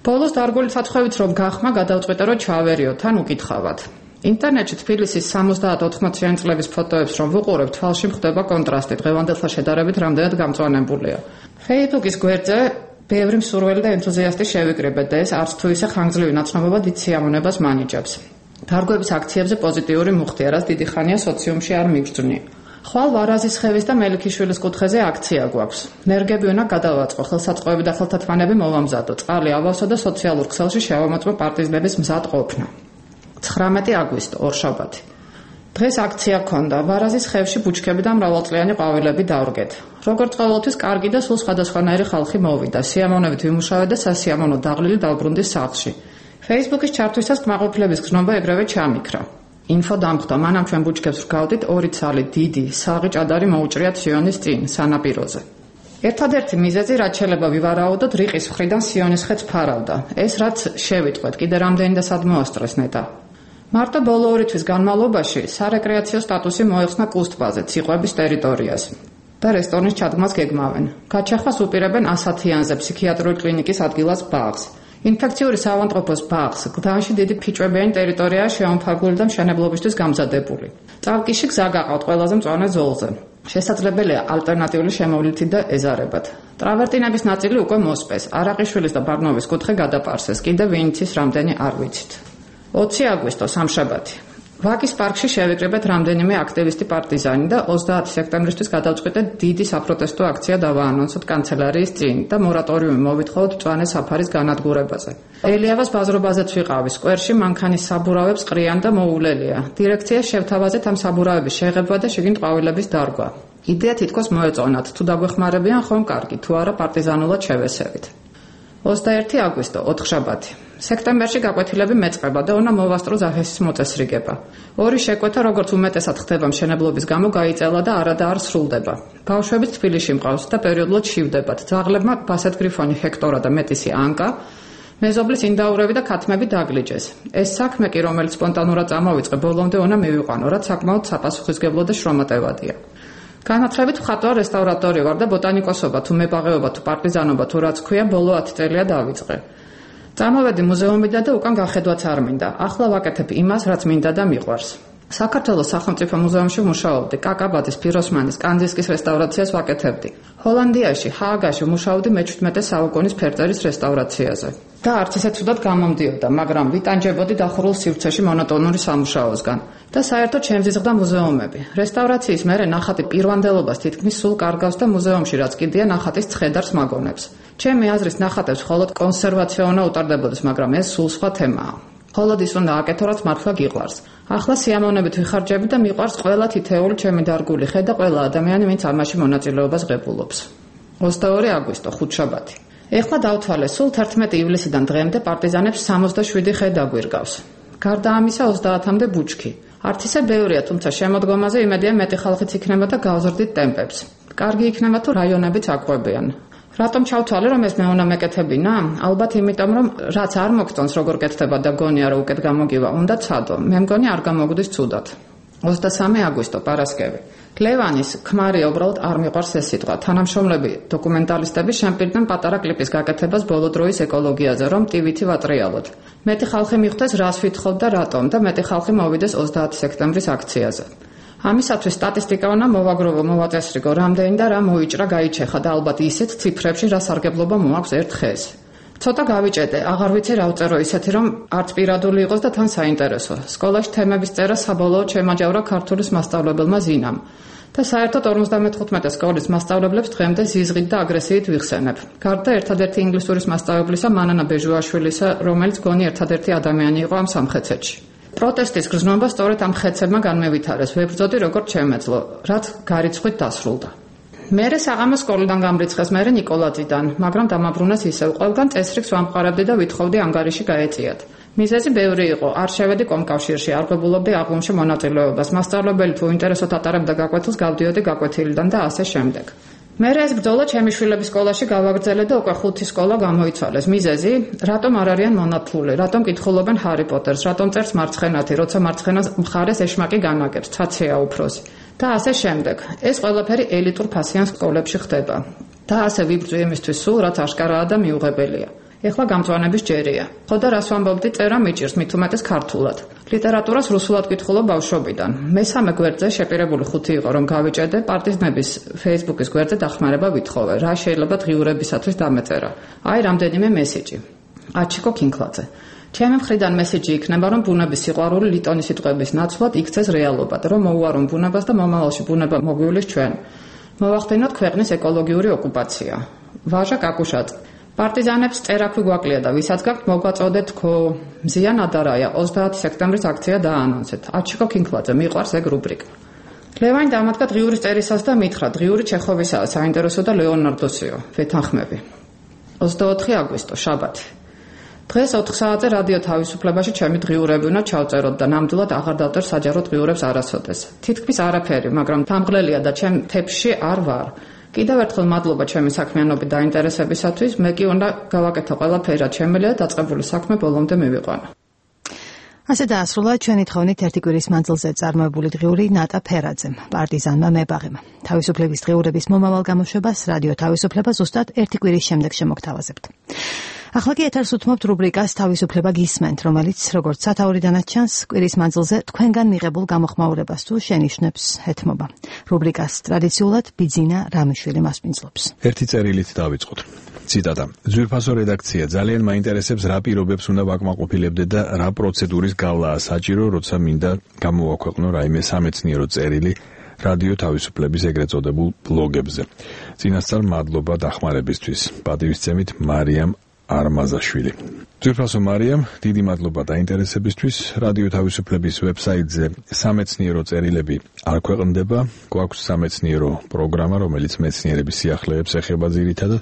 ბოლოს დარგული ცაცხვევით რომ გახმა გადავწყვიტე რომ ჩავერიო, თან უკითხავად. ინტერნეტში თბილისის სამოცდაათ ოთხმოციანი წლების ფოტოებს რომ ვუყურებ, თვალში მხდება კონტრასტი, დღევანდელთან შედარებით რამდენად გამწვანებულია. Facebook-ის გვერდზე ბევრი მსურველი და ენთუზიასტი შევიკრიბეთ და ეს არც თუ ისე ხანგრძლივი ნაცნობობა დიდ სიამოვნებას მანიჭებს. დარგვების აქციებზე პოზიტიური მუხტია, რაც დიდი ხანია სოციუმში არ მიგრძნი. ხვალ ვარაზის ხევის და მელიქიშვილის კუთხეზე აქცია გვაქვს. ნერგები უნდა გადავაწყო, ხელსაწყოები და ხელთათმანები მოვამზადო, წყალი ავავსო და სოციალურ ქსელში შევამოწმო პარტიზნების მზად ყოფნა. ცხრამეტი აგვისტო, ორშაბათი. დღეს აქცია ქონდა, ვარაზის ხევში ბუჩქები და მრავალწლიანი ყვავილები დავრგეთ. როგორც ყოველთვის კარგი და სულ სხვადასხვანაირი ხალხი მოვიდა, სიამოვნებით ვიმუშავეთ და სასიამოვნო დაღლილი დავბრუნდი სახლში. Facebook-ის ჩართვისას კმაყოფილების გზნობა ეგრევე ჩამიქრა. ინფო დამხვდა, მანამ ჩვენ ბუჩქებს ვგავდით ორი ცალი დიდი, საღი ჭადარი მოუჭრიათ სიონის წინ, სანაპიროზე. ერთადერთი მიზეზი რაც შეიძლება ვივარაუდოთ, რიყის მხრიდან სიონის ხეც ფარავდა. ეს რაც შევიტყვეთ, კიდე რამდენი და სად მოასწრეს ნეტა. მარტო ბოლო ორი თვის განმავლობაში სარეკრეაციო სტატუსი მოეხსნა კუსტბაზე, ციყვების ტერიტორიას და რესტორნის ჩადგმას გეგმავენ. გაჩახვას უპირებენ ასათიანზე ფსიქიატრიული კლინიკის ადგილას ბაღს. ინფექციური საავადმყოფოს ბაღს გდანში დიდი ფიჭვებიანი ტერიტორიაა შეამფარგლული და მშენებლობისთვის გამზადებული. წავკიში გზა გაყავთ ყველაზე მწვანე ზოლზე. შესაძლებელია ალტერნატიული შემოვლითი და ეზარებად. ტრავერტინების ნაწილი უკვე მოსპეს, არაყიშვილის და ბარნოვის კუთხე გადაპარსეს, კიდევ ვინიცის რამდენი არ ვიცით. ოცი აგვისტო, სამშაბათი. ვაკის პარკში შევიკრიბეთ რამდენიმე აქტივისტი პარტიზანი და ოცდაათი სექტემბრისთვის გადავწყვიტეთ დიდი საპროტესტო აქცია დავაანონსოთ კანცელარიის წინ და მორატორიუმი მოვითხოვოთ მწვანე საფარის განადგურებაზე. ელიავას ბაზრობაზეც ვიყავი, სკვერში მანქანის საბურავებს ყრიან და მოულელია. დირექციას შევთავაზეთ ამ საბურავების შეღება და შიგნით ყვავილების დარგვა. იდეა თითქოს მოეწონათ, თუ დაგვეხმარებიან ხომ კარგი, თუ არა პარტიზანულად შევესევით. ოცდაერთი აგვისტო, ოთხშაბათი. სექტემბერში გაკვეთილები მეწყება და უნდა მოვასწრო ზახესის მოწესრიგება. ორი შეკვეთა როგორც უმეტესად ხდება მშენებლობის გამო გაიწელა და არა და არ სრულდება. ბავშვები თბილისში მყავს და პერიოდულად შივდებათ. ძაღლებმა ბასეთ გრიფონი ჰექტორა და მეტისი ანკა, მეზობლის ინდაურები და ქათმები დაგლიჯეს. ეს საქმე კი რომელიც სპონტანურად წამოვიწყე, ბოლომდე უნდა მივიყვანო, რაც საკმაოდ საპასუხისმგებლო და შრომატევადია. განათლებით მხატვარ რესტავრატორი ვარ და ბოტანიკოსობა თუ მებაღეობა თუ პარტიზანობა თუ რაც ქვია ბოლო ათი წელია დავიწყე. წამოვედი მუზეუმიდან და უკან გახედვაც არ მინდა. ახლა ვაკეთებ იმას, რაც მინდა და მიყვარს. საქართველოს სახელმწიფო მუზეუმში ვმუშაობდი, კაკაბაძის, ფიროსმანის, კანძისკის რესტავრაციას ვაკეთებდი. ჰოლანდიაში, ჰააგაში ვმუშაობდი მეჩვიდმეტე საუკუნის ფერწერის რესტავრაციაზე. და არც ისე ცუდად გამომდიოდა, მაგრამ ვიტანჯებოდი დახურულ სივრცეში მონოტონური სამუშაოსგან. და საერთოდ შემზიზღდა მუზეუმები. რესტავრაციის მერე ნახატი პირვანდელობას თითქმის სულ კარგავს და მუზეუმში რაც კიდია ნახატის ცხედარს მაგონებს. ჩემი აზრის ნახატებს მხოლოდ კონსერვაცია უნდა უტარდებოდეს, მაგრამ ეს სულ სხვა თემაა. მხოლოდ ის უნდა აკეთო, რაც მართლა გიყვარს. ახლა სიამოვნებით ვიხარჯები და მიყვარს ყველა თითეული ჩემი დარგული ხე და ყველა ადამიანი, ვინც ამაში მონაწილეობას ღებულობს. ოცდაორი აგვისტო, ხუთშაბათი. ეხლა დავთვალე, სულ თერთმეტი ივლისიდან დღემდე პარტიზანებს სამოცდაშვიდი ხე დაგვირგავს. გარდა ამისა ოცდაათამდე ბუჩქი. არც ისე ბევრია, თუმცა შემოდგომაზე იმედია მეტი ხალხიც იქნება და გავზრდით ტემპებს. კარგი იქნება თუ რაიონებიც აყვებიან. რატომ ჩავთვალე რომ ეს მე უნდა მეკეთებინა? ალბათ იმიტომ რომ რაც არ მოგწონს როგორ კეთდება და გონია რომ უკეთ გამოგივა, უნდა ცადო. მე მგონი არ გამოგვდის ცუდად. ოცდასამი აგვისტო, პარასკევი. ლევანის ქმარი უბრალოდ არ მიყვარს ეს სიტყვა. თანამშრომლები დოკუმენტალისტები შემპირდნენ პატარა კლიპის გაკეთებას ბოლო დროის ეკოლოგიაზე, რომ ტივითი ვატრიალოთ. მეტი ხალხი მიხვდეს რას ვითხოვთ და რატომ და მეტი ხალხი მოვიდეს ოცდაათი სექტემბრის აქციაზე. ამისათვის სტატისტიკა უნდა მოვაგროვო, მოვაწესრიგო, რამდენი და რა მოიჭრა გაიჩეხა და ალბათ ისეთ ციფრებში რა სარგებლობა მოაქვს ერთ ხეს. ცოტა გავიჭედე, აღარ ვიცი რა ვწერო ისეთი, რომ არც პირადული იყოს და თან საინტერესო. სკოლაში თემების წერა საბოლოოდ შემაჯავრა ქართულის მასწავლებელმა ზინამ. და საერთოდ ორმოცდამეხუთმეტე სკოლის მასწავლებლებს დღემდე ზიზღით და აგრესიით ვიხსენებ. გარდა ერთადერთი ინგლისურის მასწავლებლისა მანანა ბეჟუაშვილისა, რომელიც გონი ერთადერთი ადამიანი იყო ამ სამხეცეთში. პროტესტის გრძნობა სწორედ ამ ხეცებმა განმევითარეს. ვებრძოდი როგორც შემეძლო, რაც გარიცხვით დასრულდა. მერე საღამოს სკოლიდან გამრიცხეს მერე ნიკოლაძიდან, მაგრამ დამაბრუნეს ისევ. ყველგან წესრიგს ვამყარებდი და ვითხოვდი ანგარიში გაეწიათ. მიზეზი ბევრი იყო. არ შევედი კომკავშირში, არ ღებულობდი აღლუმში მონაწილეობას. მასწავლებელი თუ ინტერესოდ ატარებდა გაკვეთილს, გავდიოდი გაკვეთილიდან და ასე შემდეგ. მერე ეს ბრძოლა ჩემი შვილების სკოლაში გავაგრძელე და უკვე ხუთი სკოლა გამოიცვალეს. მიზეზი, რატომ არ არიან მონათლული, რატომ კითხულობენ ჰარი პოტერს, რატომ წერს მარცხენათი, როცა მარცხენა მხარეს ეშმაკი განაგებს, ცაცია უფროსი. და ასე შემდეგ. ეს ყველაფერი ელიტურ ფასიან სკოლებში ხდება. და ასე ვიბრძვი იმისთვის სულ, რაც აშკარაა და მიუღებელია. ეხლა გამწვანების ჯერია. ხო და რას ვამბობდი, წერა მიჭირს, მით უმეტეს ქართულად. ლიტერატურას რუსულად კითხულობ ბავშვობიდან. მესამე გვერდზე შეპირებული ხუთი იყო, რომ გავიჭედე, პარტიზნების Facebook-ის გვერდზე დახმარება ვითხოვე. რა შეიძლება დღიურებისათვის დამეწერა. აი რამდენიმე მესიჯი. აჩიკო კინკლაძე. ჩემი მხრიდან მესიჯი იქნება, რომ ბუნების სიყვარული ლიტონის სიტყვების ნაცვლად იქცეს რეალობად, რომ მოუარონ ბუნებას და მომავალში ბუნება მოგვივლის ჩვენ. მოვახდინოთ ქვეყნის ეკოლოგიური ოკუპაცია. ვაჟა კაკუშაძე. პარტიზანებს წერაქვი გვაკლია და ვისაც გაქვთ მოგვაწოდეთ თქო. მზია ნადარაია, ოცდაათი სექტემბრის აქცია დააანონსეთ. აჩიკო კინკლაძე, მიყვარს ეგ რუბრიკა. ლევანი დამადგა დღიურის წერისას და მითხრა, დღიური ჩეხოვისაა, საინტერესო და ლეონარდოსიო. ვეთანხმები. ოცდაოთხი აგვისტო, შაბათი. დღეს ოთხ საათზე რადიო თავისუფლებაში ჩემი დღიურები უნდა ჩავწეროთ და ნამდვილად აღარ დავწერ საჯარო დღიურებს არასოდეს. თითქმის არაფერი, მაგრამ თამღლელია და ჩემ თეფში არ ვარ. კიდევ ერთხელ მადლობა ჩემი საქმიანობით დაინტერესებისათვის. მე კი უნდა გავაკეთო ყველაფერი, რაც შემიძლია დაწყებული საქმე ბოლომდე მივიყვანა. ასე დაასრულა ჩვენი თხოვნით ერთი კვირის მანძილზე წარმოებული დღიური ნატა ფერაძემ, პარტიზანმა მებაღემ. თავისუფლების დღიურების მომავალ გამოშვებას რადიო თავისუფლება ზუსტად ერთი კვირის შემდეგ შემოგთავაზებთ. ახლა კი ეთერს უთმობთ რუბრიკას თავისუფლება გისმენთ, რომელიც როგორც სათაურიდანაც ჩანს, კვირის მანძილზე თქვენგან მიღებულ გამოხმაურებას თუ შენიშვნებს ეთმობა. რუბრიკას ტრადიციულად ბიძინა რამიშვილი მასპინძლობს. ერთი წერილით დავიწყოთ. ციტატა. ძვირფასო რედაქცია, ძალიან მაინტერესებს რა პირობებს უნდა ვაკმაყოფილებდე და რა პროცედურის გავლაა საჭირო, როცა მინდა გამოვაქვეყნო რაიმე სამეცნიერო წერილი რადიო თავისუფლების ეგრეთ წოდებულ ბლოგებზე. წინასწარ მადლობა დახმარებისთვის. პატივისცემით მარიამ არმაზაშვილი. ძვირფასო მარიამ, დიდი მადლობა დაინტერესებისთვის. რადიო თავისუფლების ვებსაიტზე სამეცნიერო წერილები არ ქვეყნდება. გვაქვს სამეცნიერო პროგრამა, რომელიც მეცნიერების სიახლეებს ეხება ძირითადად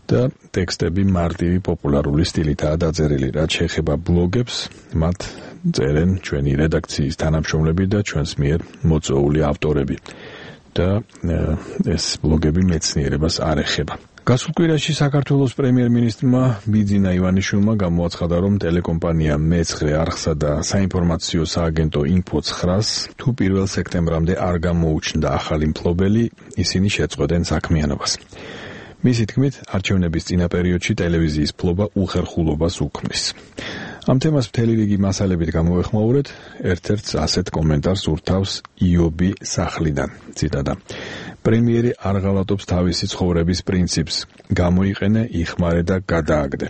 და ტექსტები მარტივი პოპულარული სტილითაა დაწერილი. რაც შეეხება ბლოგებს, მათ წერენ ჩვენი რედაქციის თანამშრომლები და ჩვენს მიერ მოწვეული ავტორები. და ეს ბლოგები მეცნიერებას არ ეხება. გასულ კვირაში საქართველოს პრემიერ-მინისტრმა ბიძინა ივანიშვილმა გამოაცხადა, რომ ტელეკომპანია მეცხრე არხსა და საინფორმაციო სააგენტო ინფო ცხრას თუ პირველ სექტემბრამდე არ გამოუჩნდა ახალი მფლობელი, ისინი შეწყვეტენ საქმიანობას. მისი თქმით, არჩევნების წინა პერიოდში ტელევიზიის მფლობა უხერხულობას უქმნის. ამ თემას მთელი რიგი მასალებით გამოვეხმაურეთ, ერთ-ერთს ასეთ კომენტარს ურთავს იობი სახლიდან. ციტატა. პრემიერი არ ღალატობს თავისი ცხოვრების პრინციპს, გამოიყენე, იხმარე და გადააგდე.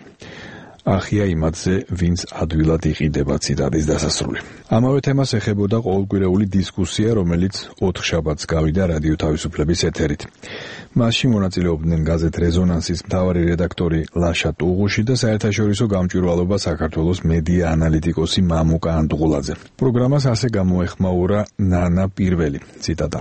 ახია იმათზე, ვინც ადვილად იყიდება. ციტატის დასასრული. ამავე თემას ეხებოდა ყოველკვირეული დისკუსია, რომელიც ოთხ შაბათს გავიდა რადიო თავისუფლების ეთერით. მასში მონაწილეობდნენ გაზეთ რეზონანსის მთავარი რედაქტორი ლაშა ტუღუში და საერთაშორისო გამჭვირვალობა საქართველოს მედია ანალიტიკოსი მამუკა ანტუღულაძე. პროგრამას ასე გამოეხმაურა ნანა პირველი. ციტატა.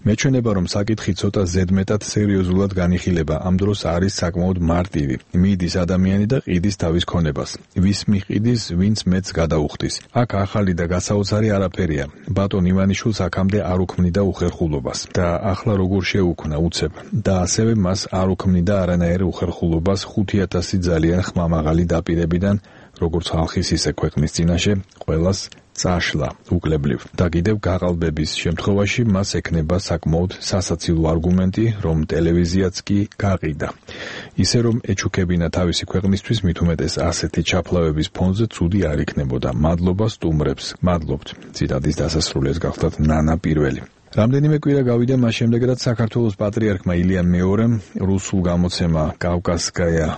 მეჩვენება, რომ საკითხი ცოტა ზედმეტად სერიოზულად განიხილება, ამ დროს არის საკმაოდ მარტივი. მიდის ადამიანი და ყიდის თავის ქონებას. ვის მიყიდის, ვინც მეც გადაუხდის. აქ ახალი და გასაოცარი არაფერია. ბატონ ივანიშვილს აქამდე არ უქმნიდა უხერხულობას და ახლა როგორ შეუქმნა უცებ და ასევე მას არ უქმნიდა არანაირ უხერხულობას ხუთი ათასი ძალიან ხმამაღალი დაპირებიდან, როგორც ხალხის ისე ქვეყნის წინაშე, ყველას წაშლა უკლებლივ და კიდევ გაყალბების შემთხვევაში მას ექნება საკმაოდ სასაცილო არგუმენტი, რომ ტელევიზიაც კი გაყიდა. ისე რომ ეჩუქებინა თავისი ქვეყნისთვის, მით უმეტეს ასეთი ჩაფლავების ფონზე ცუდი არ იქნებოდა. მადლობა სტუმრებს. მადლობთ. ციტატის დასასრული ეს გახლდათ ნანა პირველი. რამდენიმე კვირა გავიდა მას შემდეგ, რაც საქართველოს პატრიარქმა ილია მეორემ რუსულ გამოცემა კავკასკაია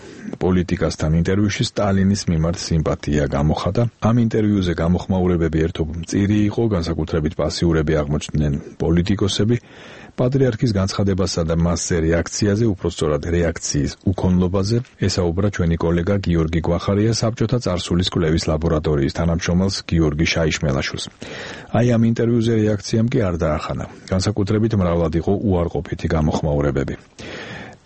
პოლიტიკასთან ინტერვიუში სტალინის მიმართ სიმპათია გამოხატა. ამ ინტერვიუზე გამოხმაურებები ერთობ მწირი იყო, განსაკუთრებით პასიურები აღმოჩნდნენ პოლიტიკოსები. პატრიარქის განცხადებასა და მასზე რეაქციაზე, უпростоრად რეაქციის უქონლობაზე ესაუბრა ჩვენი კოლეგა გიორგი გვახარია საბჭოთა წარსულის კვლევის ლაბორატორიის თანამშრომელს გიორგი შაიშმელაშვილს. აი ამ ინტერვიუზე რეაქციამ კი არ დაახანა. განსაკუთრებით მრავლად იყო უარყოფითი გამოხმაურებები.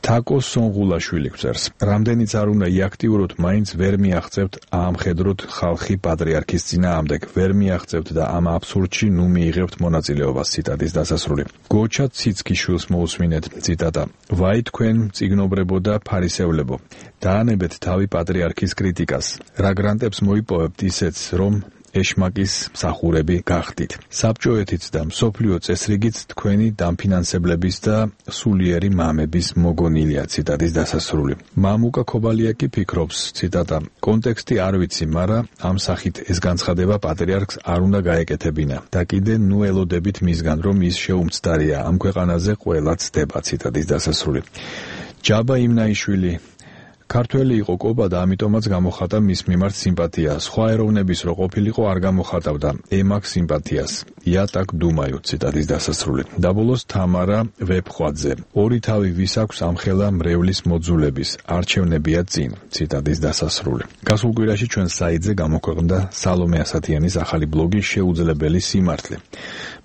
თაკო სონღულაშვილი გვწერს: რამდენიც არ უნდა იაქტიუროთ, მაინც ვერ მიაღწევთ აამხედროთ ხალხი პატრიარქის წინააღმდეგ, ვერ მიაღწევთ და ამ აბსურდში ნუ მიიღებთ მონაწილეობას. ციტატის დასასრული. გოჩა ციცქიშვილს მოусმინეთ. ციტატა: ვაი თქვენ წიგნობრებო და ფარისევლებო, დაანებეთ თავი პატრიარქის კრიტიკას. რა გრანტებს მოიპოვებთ ისეც, რომ ეშმაკის მსახურები გახდით. საბჭოეთიც და მსოფლიო წესრიგიც თქვენი დამფინანსებლების და სულიერი მამების მოგონილია. ციტატის დასასრული. მამუკა ქობალიაკი ფიქრობს, ციტატა: კონტექსტი არ ვიცი, მაგრამ ამ სახით ეს განცხადება პატრიარქს არ უნდა გაეკეთებინა და კიდე ნუ ელოდებით მისგან, რომ ის შეუმცდარია. ამ ქვეყანაზე ყველა ცდება. ციტატის დასასრული. ჯაბა იმნაიშვილი: ქართველი იყო კობა და ამიტომაც გამოხატა მის მიმართ სიმპათია. სხვა ეროვნების რო ყოფილიყო არ გამოხატავდა ემაკ სიმპათიას. იატაკ დუმაიო. ციტატის დასასრული. და ბოლოს თამარა ვეფხვაძე: ორი თავი ვის აქვს ამხელა მრევლის მოძულების, არჩევნებია წინ. ციტატის დასასრული. გასულ კვირაში ჩვენ საიტზე გამოქვეყნდა სალომე ასათიანის ახალი ბლოგი შეუძლებელი სიმართლე.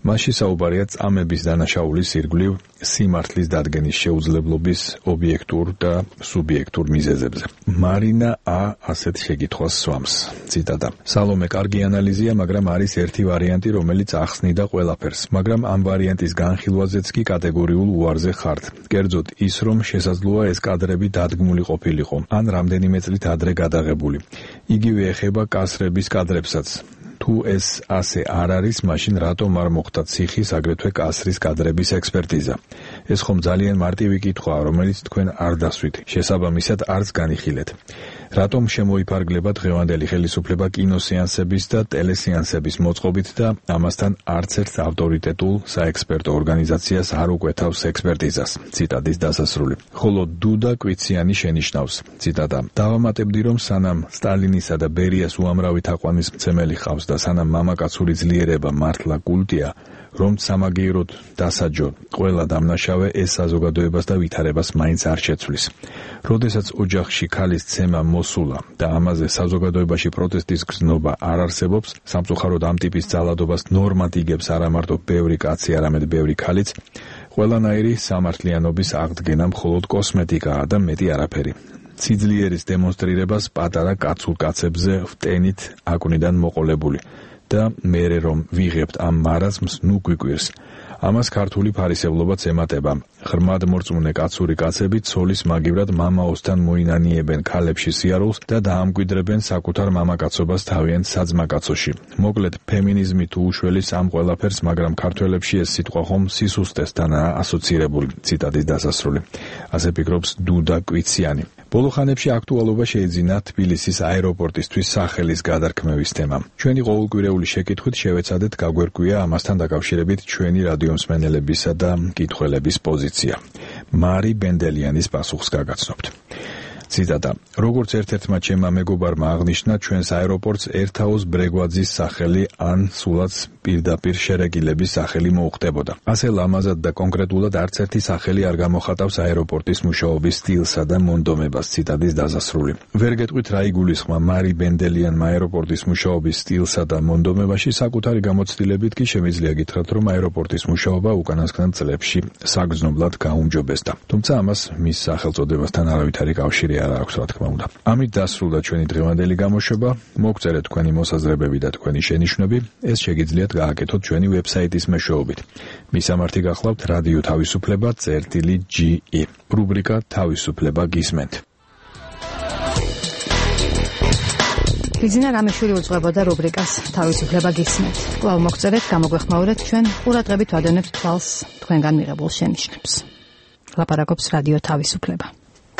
მასში საუბარია წამების დანაშაულის ირგვლივ სიმართლის დადგენის შეუძლებლობის ობიექტურ და სუბიექტურ მიზეზებზე. მარინა ა ასეთ შეკითხვას სვამს. ციტატა: სალომე, კარგი ანალიზია, მაგრამ არის ერთი ვარიანტი, რომელიც ახსნიდა ყველაფერს, მაგრამ ამ ვარიანტის განხილვაზეც კი კატეგორიულ უარზე ხართ. კერძოდ ის, რომ შესაძლოა ეს კადრები დადგმული ყოფილიყო, ან რამდენიმე წლით ადრე გადაღებული. იგივე ეხება კასრების კადრებსაც. თუ ეს ასე არ არის, მაშინ რატომ არ მოხდა ციხის, აგრეთვე კასრის კადრების ექსპერტიზა? ეს ხომ ძალიან მარტივი კითხვაა, რომელიც თქვენ არ დასვით, შესაბამისად არც განიხილეთ. რატომ შემოიფარგლება დღევანდელი ხელისუფლება კინოსეანსების და ტელესეანსების მოწყობით და ამასთან არც ერთ ავტორიტეტულ საექსპერტო ორგანიზაციას არ უკვეთავს ექსპერტიზას? ციტატის დასასრული. ხოლო დუდა კვიციანი შენიშნავს. ციტატა: დავამატებდი, რომ სანამ სტალინისა და ბერიას უამრავი თაყვანისმცემელი ხავს და სანამ მამაკაცური ძლიერება მართლა კულტია, რომ სამაგიეროდ დასაჯო ყველა დამნაშავე, ეს საზოგადოებას და ვითარებას მაინც არ შეცვლის. როდესაც ოჯახში ქალის ცემა მოსულა და ამაზე საზოგადოებაში პროტესტის გზნობა არ არსებობს, სამწუხაროდ ამ ტიპის ძალადობას ნორმად იგებს არა მარტო ბევრი კაცი, არამედ ბევრი ქალიც, ყველანაირი სამართლიანობის აღდგენა მხოლოდ კოსმეტიკაა და მეტი არაფერი. სიძლიერის დემონსტრირებას პატარა კაცულ კაცებზე ვტენით აკვნიდან მოყოლებული და მერე რომ ვიღებთ ამ მარაზმს, ნუ გვიკვირს. ამას ქართული ფარისევლობაც ემატება. ღრმად მორწმუნე კაცური კაცები ცოლის მაგივრად მამაოსთან მოინანიებენ ქალებში სიარულს და დაამკვიდრებენ საკუთარ მამაკაცობას თავიანთ საძმაკაცოში. მოკლედ, ფემინიზმი თუ უშველის ამ ყველაფერს, მაგრამ ქართველებში ეს სიტყვა ხომ სისუსტესთანაა ასოცირებული. ციტატის დასასრული. ასე ფიქრობს დუდა კვიციანი. ბოლო ხანებში აქტუალობა შეიძინა თბილისის აეროპორტისთვის სახელის გადარქმევის თემამ. ჩვენი ყოველკვირეული შეკითხვით შევეცადეთ გაგვერკვია ამასთან დაკავშირებით ჩვენი რადიომსმენელებისა და მკითხველების პოზიცია. მარი ბენდელიანის პასუხს გაგაცნობთ. ციტატა: როგორც ერთ-ერთმა ჩემმა მეგობარმა აღნიშნა, ჩვენს აეროპორტს ერთაოს ბრეგვაძის სახელი ან სულაც პირდაპირ შერეგილების სახელი მოუხდებოდა. ასე ლამაზად და კონკრეტულად არც ერთი სახელი არ გამოხატავს აეროპორტის მუშაობის სტილსა და მონდომებას. ციტატის დასასრული. ვერ გეტყვით რა იგულისხმა მარი ბენდელიანმა აეროპორტის მუშაობის სტილსა და მონდომებაში, საკუთარი გამოცდილებით კი შემიძლია გითხრათ, რომ აეროპორტის მუშაობა უკანასკნელ წლებში საგრძნობლად გაუმჯობესდა. თუმცა ამას მის სახელწოდებასთან არავითარი კავშირი არ აქვს, რა თქმა უნდა. ამით დასრულდა ჩვენი დღევანდელი გამოშვება. მოგწერეთ თქვენი მოსაზრებები და თქვენი შენიშვნები. ეს შეგიძლიათ გააკეთოთ ჩვენი ვებსაიტის მეშვეობით. მისამართი გახლავთ რადიო თავისუფლება წერტილი ჯი ი. რუბრიკა თავისუფლება გისმენთ. ბიზნა რამეშვილი უძღვებოდა რუბრიკას თავისუფლება გისმენთ. კვლავ მოგწერეთ, გამოგვეხმაურეთ ჩვენ ყურადღებით ვადევნებთ თვალს თქვენგან მიღებულ შენიშვნებს. ლაპარაკობს რადიო თავისუფლება.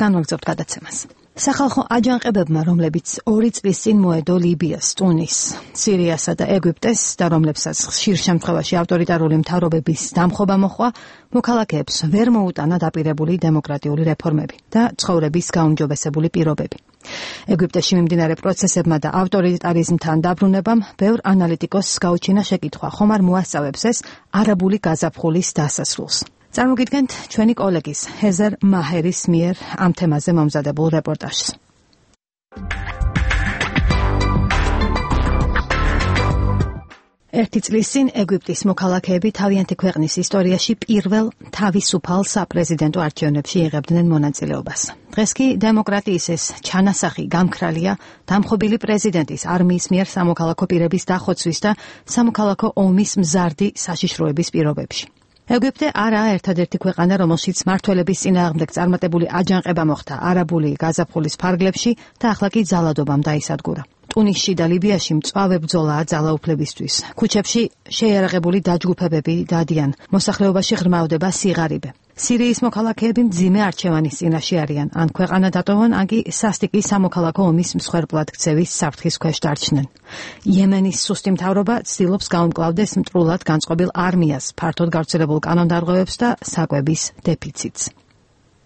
განვაგრძობთ გადაცემას. სახალხო აჯანყებებმა, რომლებიც ორი წლის წინ მოედო ლიბიას, ტუნის, სირიასა და ეგვიპტეს და რომლებსაც ხშირ შემთხვევაში ავტორიტარული მთავრობების დამხობა მოჰყვა, მოქალაქეებს ვერ მოუტანა დაპირებული დემოკრატიული რეფორმები და ცხოვრების გაუმჯობესებული პირობები. ეგვიპტეში მიმდინარე პროცესებმა და ავტორიტარიზმთან დაბრუნებამ ბევრ ანალიტიკოსს გაუჩინა შეკითხვა, ხომ არ მოასწავებს ეს არაბული გაზაფხულის დასასრულს. წარმოგიდგენთ ჩვენი კოლეგის ჰეზერ მაჰერის მიერ ამ თემაზე მომზადებულ რეპორტაჟს. ერთი წლის წინ ეგვიპტის მოქალაქეები თავიანთი ქვეყნის ისტორიაში პირველ თავისუფალ საპრეზიდენტო არჩევნებში იღებდნენ მონაწილეობას. დღეს კი დემოკრატიის ეს ჩანასახი გამქრალია დამხობილი პრეზიდენტის არმიის მიერ სამოქალაქო პირების დახოცვის და სამოქალაქო ომის მზარდი საშიშროების პირობებში. ეგვიპტე არაა ერთადერთი ქვეყანა, რომელშიც მმართველების წინააღმდეგ წარმატებული აჯანყება მოხდა არაბული გაზაფხულის ფარგლებში და ახლა კი ძალადობამ დაისადგურა. ტუნისში და ლიბიაში მწვავე ბრძოლაა ძალაუფლებისთვის. ქუჩებში შეიარაღებული დაჯგუფებები დადიან. მოსახლეობაში ღრმავდება სიღარიბე. სირიის მოქალაქეები მძიმე არჩევანის წინაშე არიან. ან ქვეყანა დატოვონ, ან კი სასტიკი სამოქალაქო ომის მსხვერპლად ქცევის საფრთხის ქვეშ დარჩნენ. იემენის სუსტი მთავრობა ცდილობს გაუმკლავდეს მტრულად განწყობილ არმიას, ფართოდ გავრცელებულ კანონდარღვევებს და საკვების დეფიციტს.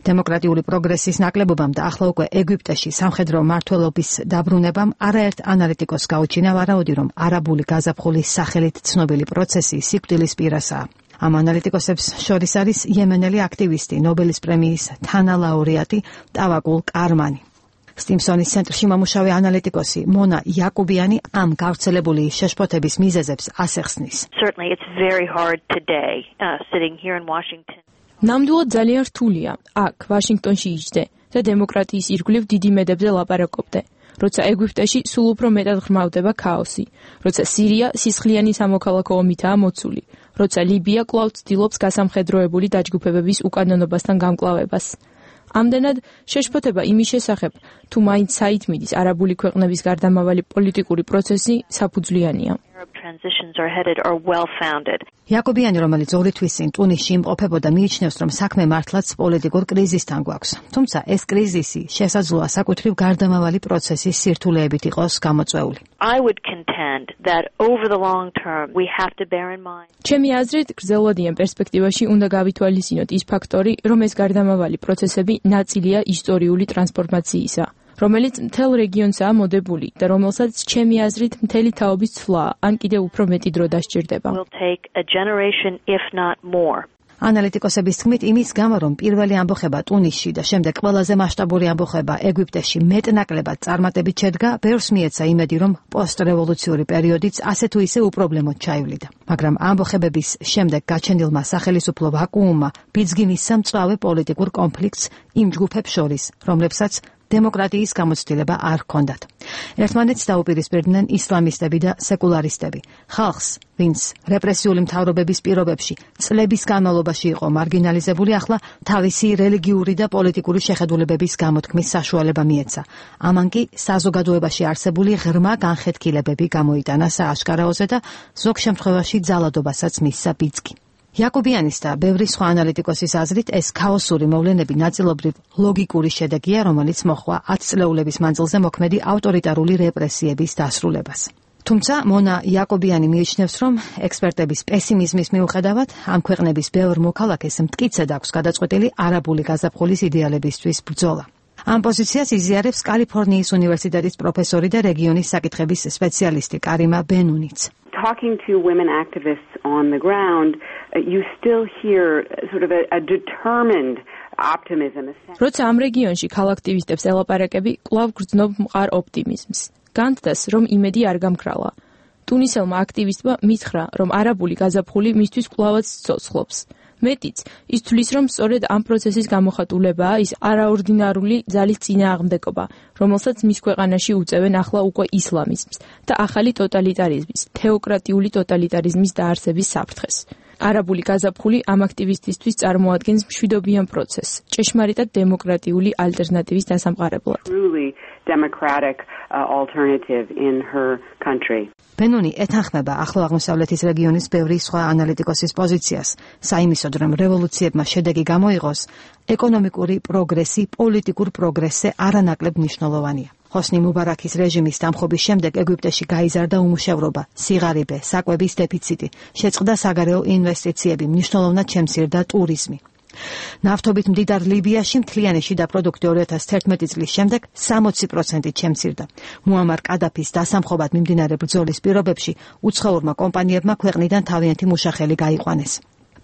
დემოკრატიული პროგრესის ნაკლებობამ და ახლა უკვე ეგვიპტეში სამხედრო მმართველობის დაბრუნებამ არაერთ ანალიტიკოს გაუჩინა ვარაუდი, რომ არაბული გაზაფხულის სახელით ცნობილი პროცესი სიკვდილის პირასაა. ამ ანალიტიკოსებს შორის არის იემენელი აქტივისტი, ნობელის პრემიის თანალაურეატი ტავაკულ კარმანი. სტიმსონის ცენტრში მომუშავე ანალიტიკოსი მონა იაკუბიანი ამ გავრცელებული შეშფოთების მიზეზებს ასახსნის. Certainly it's very hard today uh, sitting here in Washington. ნამდვილად ძალიან რთულია აქ ვაშინგტონში იჯდე და დემოკრატიის ირგვლივ დიდი მედებზე ლაპარაკობდე, როცა ეგვიპტეში სულ უფრო მეტად ღრმავდება ქაოსი, როცა სირია სისხლიანი სამოქალაქო ომითაა მოცული, როცა ლიბია კვლავ ცდილობს გასამხედროებული დაჯგუფებების უკანონობასთან გამკლავებას. ამდენად შეშფოთება იმის შესახებ, თუ მაინც საით მიდის არაბული ქვეყნების გარდამავალი პოლიტიკური პროცესი საფუძვლიანია. იაკობიანი, რომელიც ორი თვის წინ ტუნისში იმყოფებოდა, მიიჩნევს, რომ საქმე მართლაც პოლიტიკურ კრიზისთან გვაქვს. თუმცა ეს კრიზისი შესაძლოა საკუთრივ გარდამავალი პროცესის სირთულეებით იყოს გამოწვეული. I would contend that over the long term we have to bear in mind. ჩემი აზრით, გრძელვადიან პერსპექტივაში უნდა გავითვალისწინოთ ის ფაქტორი, რომ ეს გარდამავალი პროცესები ნაწილია ისტორიული ტრანსფორმაციისა, რომელიც მთელ რეგიონსაა მოდებული და რომელსაც ჩემი აზრით მთელი თაობის ცვლა ან კიდევ უფრო მეტი დრო დასჭირდება. ანალიტიკოსების თქმით, იმის გამო, რომ პირველი ამბოხება ტუნისში და შემდეგ ყველაზე მასშტაბური ამბოხება ეგვიპტეში მეტნაკლებად წარმატებით შედგა, ბევრს მიეცა იმედი, რომ პოსტრევოლუციური პერიოდიც ასე თუ ისე უპრობლემოდ ჩაივლიდა. მაგრამ ამბოხებების შემდეგ გაჩენილმა სახელისუფლო ვაკუუმმა ბიძგი მისცა მწვავე პოლიტიკურ კონფლიქტს იმ ჯგუფებს შორის, რომლებსაც დემოკრატიის გამოცდილება არ ჰქონდათ. ერთმანეთს დაუპირისპირდნენ ისლამისტები და სეკულარისტები. ხალხს, ვინც რეპრესიული მთავრობების პირობებში წლების განმავლობაში იყო მარგინალიზებული, ახლა თავისი რელიგიური და პოლიტიკური შეხედულებების გამოთქმის საშუალება მიეცა. ამან კი საზოგადოებაში არსებული ღრმა განხეთქილებები გამოიტანა სააშკარაოზე და ზოგ შემთხვევაში ძალადობასაც მისცა ბიძგი. იაკობიანის და ბევრი სხვა ანალიტიკოსის აზრით, ეს ქაოსური მოვლენები ნაწილობრივ ლოგიკური შედეგია, რომელიც მოჰყვა ათწლეულების მანძილზე მოქმედი ავტორიტარული რეპრესიების დასრულებას. თუმცა მონა იაკობიანი მიიჩნევს, რომ ექსპერტების პესიმიზმის მიუხედავად, ამ ქვეყნების ბევრ მოქალაქეს მტკიცედ აქვს გადაწყვეტილი არაბული გაზაფხულის იდეალებისთვის ბრძოლა. ამ პოზიციას იზიარებს კალიფორნიის უნივერსიტეტის პროფესორი და რეგიონის საკითხების სპეციალისტი კარიმა ბენუნიც. Talking to women activists on the ground, you still hear sort of a, a determined optimism. როცა ამ რეგიონში ქალაქტივისტებს ელაპარაკები, კვლავ გრძნობ მყარ ოპტიმიზმს. განცდას, რომ იმედი არ გამქრალა. ტუნისელმა აქტივისტმა მითხრა, რომ არაბული გაზაფხული მისთვის კვლავაც ცოცხლობს. მეტიც, ის თვლის, რომ სწორედ ამ პროცესის გამოხატულებაა ის არაორდინარული ძალის წინააღმდეგობა, რომელსაც მის ქვეყანაში უწევენ ახლა უკვე ისლამიზმს და ახალი ტოტალიტარიზმის, თეოკრატიული ტოტალიტარიზმის დაარსების საფრთხეს. არაბული გაზაფხული ამ აქტივისტისთვის წარმოადგენს მშვიდობიან პროცესს, ჭეშმარიტად დემოკრატიული ალტერნატივის დასამყარებლად. Democratic uh, alternative in her country. ბენუნი ეთანხმება ახლო აღმოსავლეთის რეგიონის ბევრი სხვა ანალიტიკოსის პოზიციას, საიმისოდ, რომ რევოლუციებმა შედეგი გამოიღოს, ეკონომიკური პროგრესი პოლიტიკურ პროგრესზე არანაკლებ მნიშვნელოვანია. ხოსნი მუბარაქის რეჟიმის დამხობის შემდეგ ეგვიპტეში გაიზარდა უმუშევრობა, სიღარიბე, საკვების დეფიციტი, შეწყდა საგარეო ინვესტიციები, მნიშვნელოვნად შემცირდა ტურიზმი. ნავთობით მდიდარ ლიბიაში მთლიანი შიდა პროდუქტი ორი ათას თერთმეტი წლის შემდეგ სამოცი პროცენტით შემცირდა. მუამარ კადაფის დასამხობად მიმდინარე ბრძოლის პირობებში უცხოურმა კომპანიებმა ქვეყნიდან თავიანთი მუშახელი გაიყვანეს.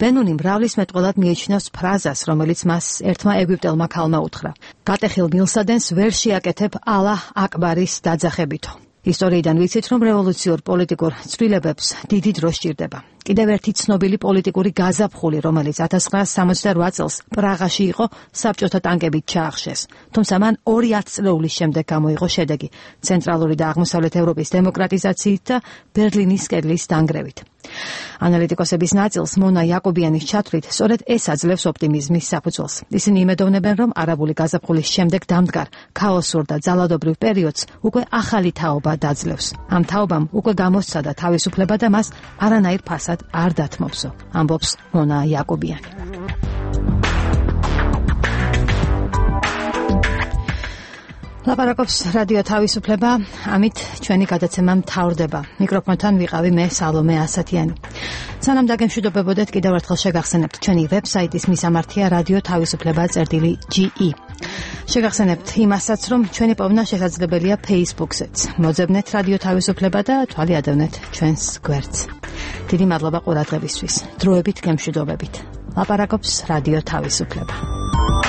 ბენუნი მრავლის მეტყველად მიიჩნევს ფრაზას, რომელიც მას ერთმა ეგვიპტელმა ქალმა უთხრა. გატეხილ მილსადენს ვერ შეაკეთებ ალა აკბარის დაძახებითო. ისტორიიდან ვიცით, რომ რევოლუციურ პოლიტიკურ ცვლილებებს დიდი დრო სჭირდება. კიდევ ერთი ცნობილი პოლიტიკური გაზაფხული, რომელიც ათას ცხრაასი სამოცდაოთხ წელს პრაღაში იყო, საბჭოთა ტანკებით ჩაახშეს. თუმცა მან ორი ათწლეულის შემდეგ გამოიღო შედეგი ცენტრალური და აღმოსავლეთ ევროპის დემოკრატიზაციით და ბერლინის კედლის დანგრევით. ანალიტიკოსების ნაწილს მონა იაკობიანის ჩათვლით, სწორედ ეს აძლევს ოპტიმიზმის საფუძველს. ისინი იმედოვნებენ, რომ არაბული გაზაფხულის შემდეგ დამდგარ ქაოსურ და ძალადობრივ პერიოდს უკვე ახალი თაობა დაძლევს. ამ თაობამ უკვე გამოსცადა თავისუფლება და მას არანაირ ფასად არ დათმობსო, ამბობს მონა იაკობიანი. ლაპარაკობს რადიო თავისუფლება, ამით ჩვენი გადაცემა მთავრდება. მიკროფონთან ვიყავი მე სალომე ასათიანი. სანამ დაგემშვიდობებოდეთ, კიდევ ერთხელ შეგახსენებთ ჩვენი ვებსაიტის მისამართია რადიო თავისუფლება წერტილი ჯი ი. შეგახსენებთ იმასაც, რომ ჩვენი პოვნა შესაძლებელია Facebook-ზეც. მოძებნეთ რადიო თავისუფლება და თვალი ადევნეთ ჩვენს გვერდს. დიდი მადლობა ყურადღებისთვის. დროებით გემშვიდობებით. ლაპარაკობს რადიო თავისუფლება.